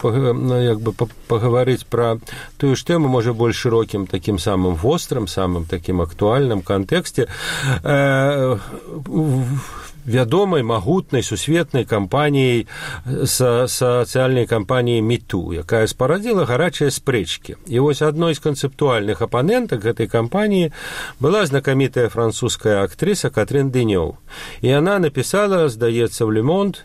як бы паговорыць пра тую ж тэму, можа, больш шырокім такім самым вострым, самым такім актуальным кантэксце э, вядомай, магутнай, сусветнай кампаніяй, са, сацыяльнай кампаніяй MeToo, якая спарадзіла гарачыя спрэчкі. І вось адной з канцэптуальных апанентак гэтай кампаніі была знакамітая французская актрыса Катрин Денёв. І яна напісала, здаецца, в Le Monde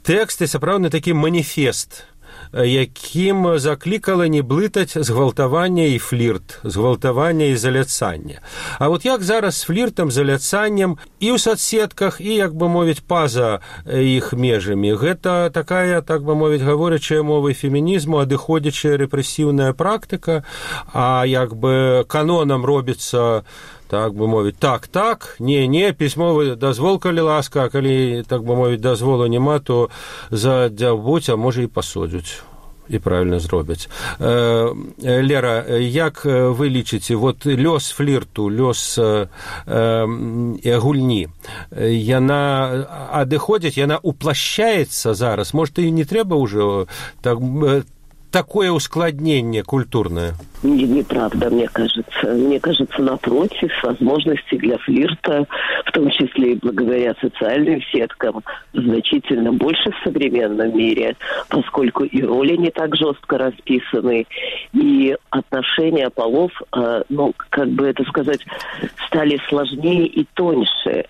тэксты, сапраўдны такі маніфест, якім заклікала не блытаць згвалтаванне і флірт, згвалтаванне і заляцанне. А вот як зараз з фліртам, заляцаннем і ў соцсетках, і, як бы мовіць, па-за іх межамі. Гэта такая, так бы мовіць, гаворачая мовай фемінізму, адыходзячая рэпрэсіўная практыка, а як бы канонам робіцца, так бы мовіць, так-так, не-не, пісьмовы дазвол, калі ласка, а калі, так бы мовіць, дазволу няма, то задзяўбуць, а можа і пасудзяць. І правильно зробяць. Э, Лера, як вы лічыце, вот лёс флірту, лёс э, э, гульні, яна адыходзіць, яна уплашчаецца зараз? Может, і не трэба ўжо так, такое ускладнение культурное? Не, неправда, мне кажется. Мне кажется, напротив, возможности для флирта, в том числе и благодаря социальным сеткам, значительно больше в современном мире, поскольку и роли не так жестко расписаны, и отношения полов, ну, как бы это сказать, стали сложнее и тоньше.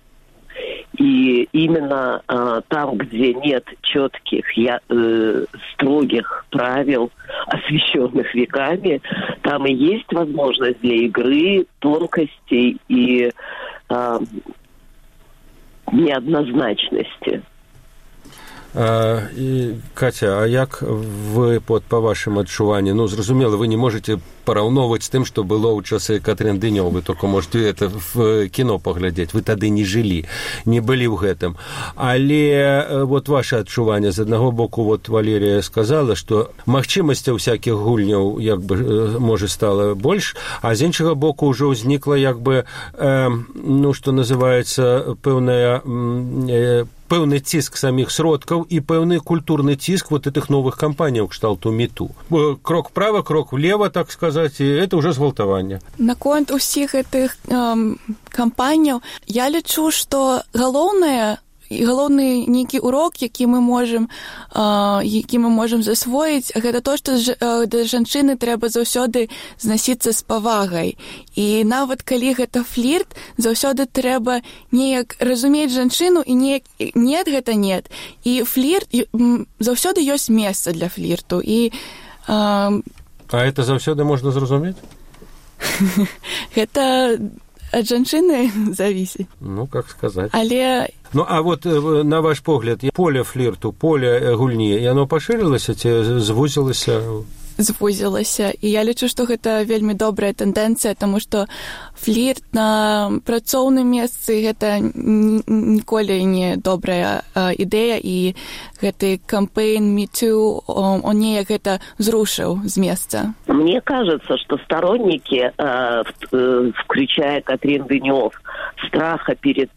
И именно э, там, где нет четких, я, э, строгих правил, освещенных веками, там и есть возможность для игры, тонкостей и э, неоднозначности. А, і, Катя, а як вы, под, па вашым адчуванні, ну, зразумела, вы не можете параўноўваць з тым, што было ў часы Катрин Денёв, вы только можете это в кіно паглядзець, вы тады не жылі, не былі ў гэтым. Але вот ваше адчуванне, з аднаго боку, вот Валерія сказала, што магчымасцяў всякіх гульняў, як бы, можа, стала больш, а з іншага боку ўжо ўзнікла, як бы, э, ну, што называецца, пэўная э, пэўны ціск саміх сродкаў і пэўны культурны ціск вот этих новых кампаніяў кшталту MeToo. Крок вправо, крок влево, так сказать, і это уже згвалтаванне. Наконт усіх гэтых эм, кампаніяў я лічу, што галоўнае галоўны нейкі урок, які мы можам э, які мы можам засвоіць, гэта то, што ж, э, да жанчыны трэба заўсёды знасіцца з павагай. І нават калі гэта флірт, заўсёды трэба неяк разумець жанчыну і неяк нет, гэта нет. І флірт, заўсёды ёсць месца для флірту. І, э, а это заўсёды можна зразумець? Гэта ад жанчыны завісіць. Ну, как сказаць. Але... Ну, а вот на ваш погляд, поле флірту, поле гульні, яно пашырылася ці звузілася? Звузілася. І я лічу, што гэта вельмі добрая тэндэнцыя, таму што флірт на працоўным месцы гэта ніколі не добрая ідэя, і гэты кампэйн MeToo, он неяк гэта зрушыў з месца. Мне кажется, что сторонники, включая Катрин Денёв, страха перед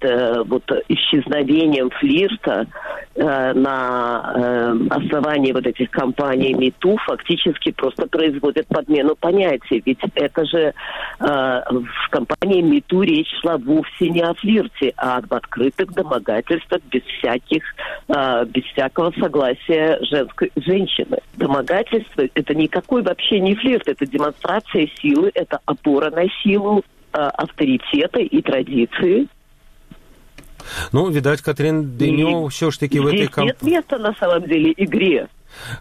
вот исчезновением флирта на основании вот этих кампаний MeToo фактически просто производят подмену понятий. Ведь это же в кампании MeToo речь шла вовсе не о флирте, а об открытых домогательствах без всяких, без всякого согласия женской, женщины. Домогательство – это никакой вообще не флирт, это демонстрация силы, это опора на силу, авторитета и традиции. Ну, видать, Катрин Денёв все ж таки в этой кампании... Нет места, на самом деле, игре.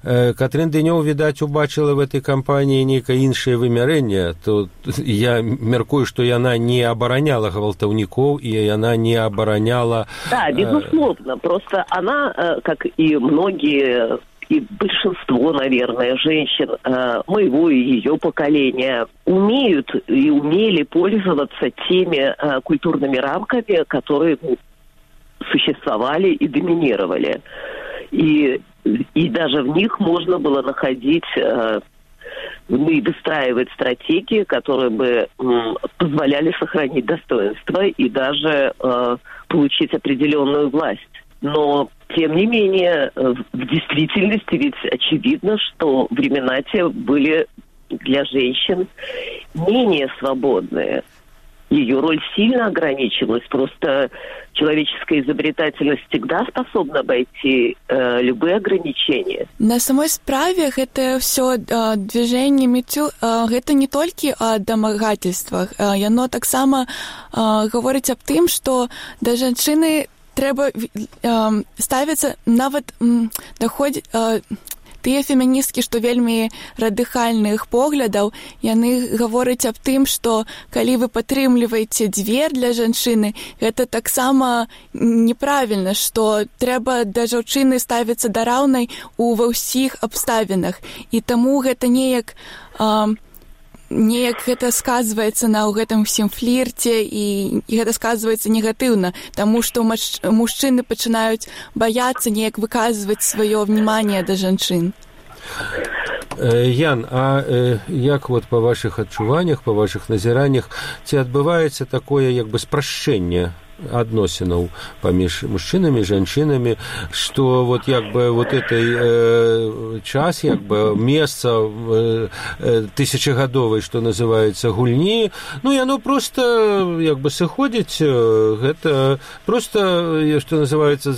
Катрин Денёв, відаць, убачыла в этой кампаніі нейкае іншае вымярэнне. Тут я мяркую, што яна не абараняла гвалтаўнікоў, и яна не абараняла... Да, безусловно. Просто она, как и многие, и большинство, наверное, женщин моего и ее поколения умеют и умели пользоваться теми культурными рамками, которые существовали и доминировали. И И даже в них можно было находить э, ну, и выстраивать стратегии, которые бы м, позволяли сохранить достоинство и даже э, получить определенную власть. Но, тем не менее, в действительности ведь очевидно, что времена те были для женщин менее свободные. Ее роль сильно ограничилась. Просто человеческая изобретательность всегда способна обойти э, любые ограничения. На самой справе это все э, движение метю, э, это не только о домагательствах. Э, яно таксама э, говорить об тым, что да женщины трэба э, ставіцца нават э, даходзіць э, тыя феміністкі, што вельмі радыкальных поглядаў, яны гавораць аб тым, што калі вы падтрымліваеце дзвер для жанчыны, гэта таксама неправільна, што трэба да жанчыны ставіцца да раўнай у ва ўсіх абставінах. І таму гэта неяк э, неяк гэта сказваецца на гэтым усім флірце і, і гэта сказваецца негатыўна, таму што мач, мужчыны пачынаюць баяцца неяк выказваць сваё внимание да жанчын. Ян, а э, як вот па вашых адчуваннях, па вашых назіраннях, ці адбываецца такое як бы спрашчэнне адносінаў паміж мужчынамі, жанчынамі, што вот як бы вот этой э, час, як бы месца э, э, тысячагадовай, што называецца, гульні, ну яно просто як бы сыходзіць, гэта просто, што называецца,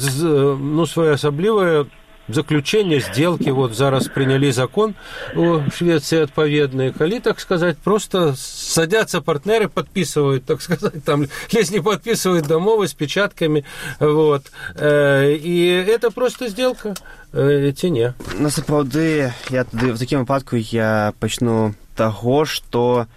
ну своеасаблівае заключение сделки. Вот зараз приняли закон у Швеции отповедный. Коли, так сказать, просто садятся партнеры, подписывают, так сказать, там, если не подписывают домовы с печатками, вот. И это просто сделка, ці не. Насправді, я в таким випадку я почну того, что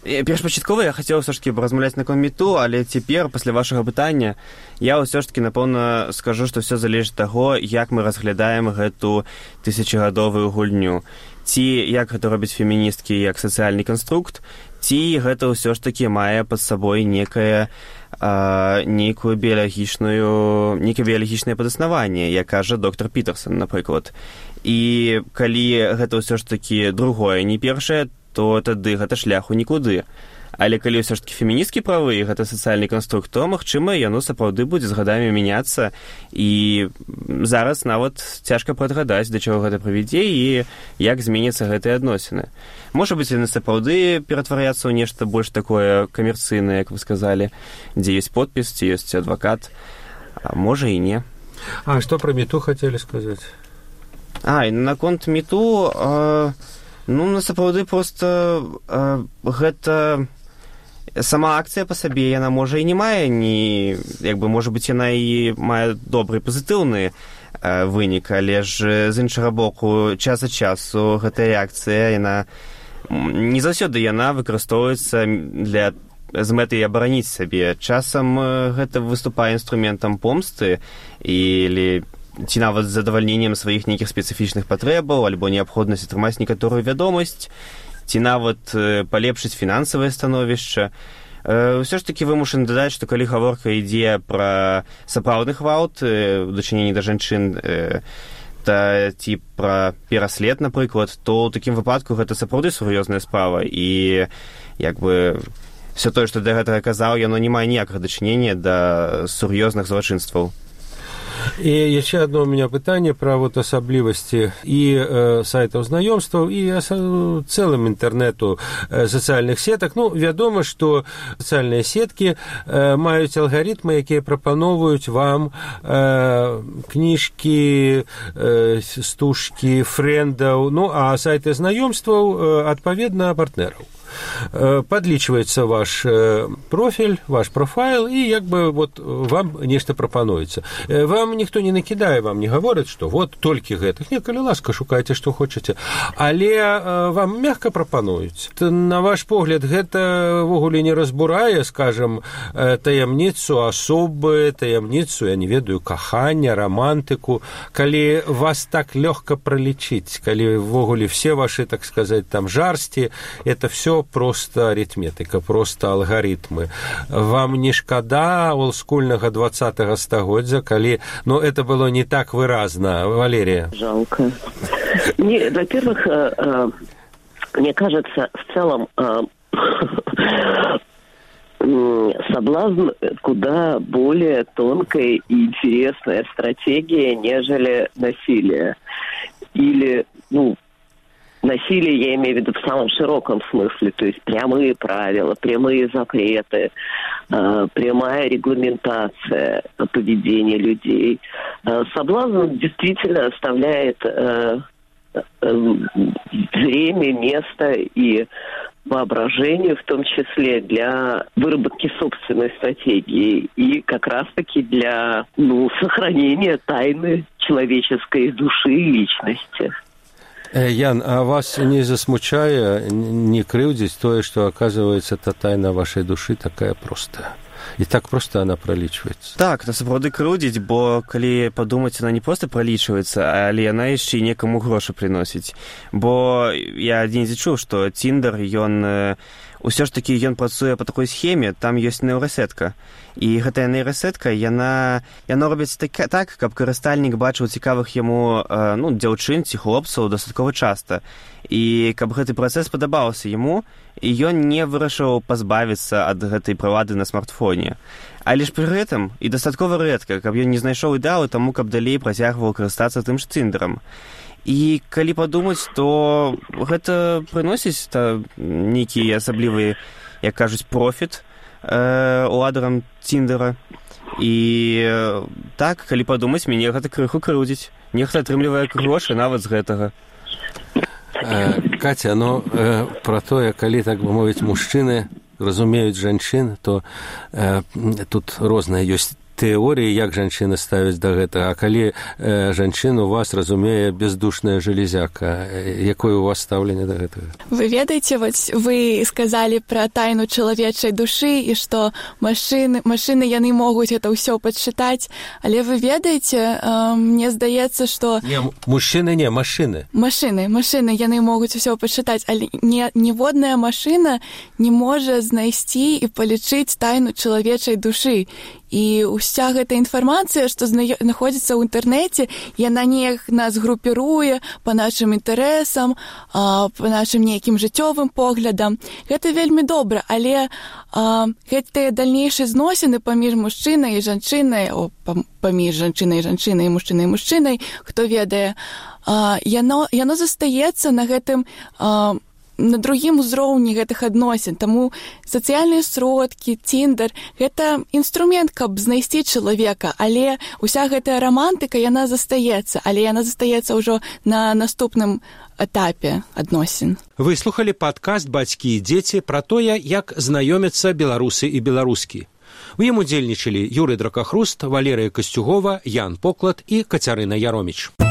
першапачаткова я хацеў ўсё ж таки размаўляць на мету, але цяпер, пасля вашага пытання, я ўсё ж таки, напэўна, скажу, што ўсё залежыць ад таго, як мы разглядаем гэту тысячагадовую гульню. Ці як гэта робяць феміністкі як сацыяльны канструкт, ці гэта ўсё ж таки мае пад сабой некае а, нейкую біялагічную, нейкае біялагічнае падаснаванне, як кажа доктор Пітерсон, напрыклад. І калі гэта ўсё ж таки другое, не першае, то тады гэта шляху нікуды. Але калі ўсё ж таки феміністкі правы, і гэта сацыяльны канструкт, то, магчыма, яно сапраўды будзе з гадамі мяняцца, і зараз нават цяжка прадгадаць, да чаго гэта прывядзе і як зменяцца гэтыя адносіны. Можа быць, яны сапраўды ператваряцца ў нешта больш такое камерцыйнае, як вы сказалі, дзе ёсць подпіс, ці ёсць адвакат, а можа і не. А што пра мету хацелі сказаць? А, і наконт мету... А... Ну, насапраўды, проста э, гэта сама акцыя па сабе, яна можа і не мае, ні, як бы, можа быць, яна і мае добры пазітыўны э, вынік, але ж з іншага боку, час ад часу гэтая акцыя, яна не заўсёды яна выкарыстоўваецца для з мэтай абараніць сабе. Часам гэта выступае інструментам помсты или ці нават з задавальненнем сваіх нейкіх спецыфічных патрэбаў, альбо неабходнасць атрымаць некаторую вядомасць, ці нават палепшыць фінансавае становішча. Ўсё ж такі вымушаны дадаць, што калі гаворка ідзе пра сапраўдны гвалт у дачыненні да жанчын, та ці пра пераслед, напрыклад, то ў такім выпадку гэта сапраўды сур'ёзная справа, і як бы все тое, што да гэтага казаў, яно не мае ніякага дачынення да сур'ёзных злачынстваў. И еще одно у меня питание про вот особливости и э, сайтов знаёмстваў, и осо- целым интернету э, социальных сеток. Ну, вядома, что социальные сетки э, маюць алгаритмы, якія прапановваюць вам э, кніжкі, э, стужкі, фрэндаў, ну, а сайты знаёмстваў, э, адпаведна, партнераў. Подлічваецца ваш профіль, ваш профайл, і як бы вот вам нешта прапануецца. Вам ніхто не накідае, вам не гаворыць, што вот толькі гэтых. Не, калі ласка, шукайце, што хочаце. Але вам мякка прапануюць. На ваш погляд, гэта ввогуле не разбурае, скажам, таямніцу асобы, таямніцу, я не ведаю, кахання, романтыку. Калі вас так лёгка пралічыць, калі ввогуле все ваши, так сказать, там жарсці, это все просто аритметика, просто алгоритмы. Вам не шкада олдскульнага двадцатага стагоддзя, калі, ну, это было не так выразно, Валерия? Жалко. Не, во-первых, Мне кажется, в целом соблазн куда более тонкая и интересная стратегия, нежели насилие. Или, ну, насилие, я имею в виду в самом широком смысле, то есть прямые правила, прямые запреты, э, прямая регламентация поведения людей. Э, соблазн действительно оставляет э, э, время, место и воображение, в том числе для выработки собственной стратегии и как раз-таки для, ну, сохранения тайны человеческой души и личности. Ян, а вас не засмучае, не крыўдзіць тое, што, оказывается, та тайна вашай душы такая простая? І так просто она пролічваецца. Так, на сапраўды крыўдзіць, бо калі падумаць, она не проста пролічваецца, але яна яшчэ і некаму грошы прыносіць. Бо я адзін чуў, што Тиндер, ён ўсё ж такі ён працуе па такой схеме, там ёсць нейрасетка. І гэтая нейрасетка, яна, яна робіць так, так, каб карыстальнік бачыў цікавых яму ну, дзяўчын ці хлопцаў дастаткова часта. І каб гэты працэс падабаўся яму, і ён не вырашыў пазбавіцца ад гэтай прылады на смартфоне. Але ж пры гэтым і дастаткова рэдка, каб ён не знайшоў ідэалу таму, каб далей працягваў карыстацца тым ж Тиндерам. І калі падумаць, то гэта прыносіць та, нейкі асаблівы, як кажуць, профіт э, уладарам Тиндера. І э, так, калі падумаць, мяне гэта крыху крыўдзіць. Нехта атрымлівае грошы нават з гэтага. Э, Катя, ну э, пра тое, калі, так бы мовіць, мужчыны разумеюць жанчын, то э, тут розныя ёсць тэорыі, як жанчыны ставяць да гэтага. А калі э, жанчын у вас разумее бездушная железяка, якое у вас стаўленне да гэтага? Вы ведаеце, вот вы сказалі пра тайну чалавечай душы і што машыны, машыны яны могуць гэта ўсё падчытаць, але вы ведаеце, э, мне здаецца, што... Не, мужчыны не, машыны. Машыны, машыны, яны могуць усё падчытаць, але не, ніводная машына не можа знайсці і палічыць тайну чалавечай душы. І ўся гэта інфармацыя, што знаходзіцца ў інтэрнэце, яна неяк нас групіруе па нашым інтарэсам, па нашым нейкім жыццёвым поглядам. Гэта вельмі добра, але а, гэтыя дальнейшыя зносіны паміж мужчынай і жанчынай, о, паміж жанчынай і жанчынай, мужчынай і мужчынай, хто ведае, а, яно, яно застаецца на гэтым а, на другім узроўні гэтых адносін. Таму сацыяльныя сродкі, Тиндер – гэта інструмент, каб знайсці чалавека, але ўся гэтая рамантыка, яна застаецца, але яна застаецца ўжо на наступным этапе адносін. Вы слухалі падкаст «Бацькі і дзеці» пра тое, як знаёмяцца беларусы і беларускі. У ім удзельнічалі Юрый Дракахруст, Валерыя Касцюгова, Ян Поклад і Кацярына Яроміч.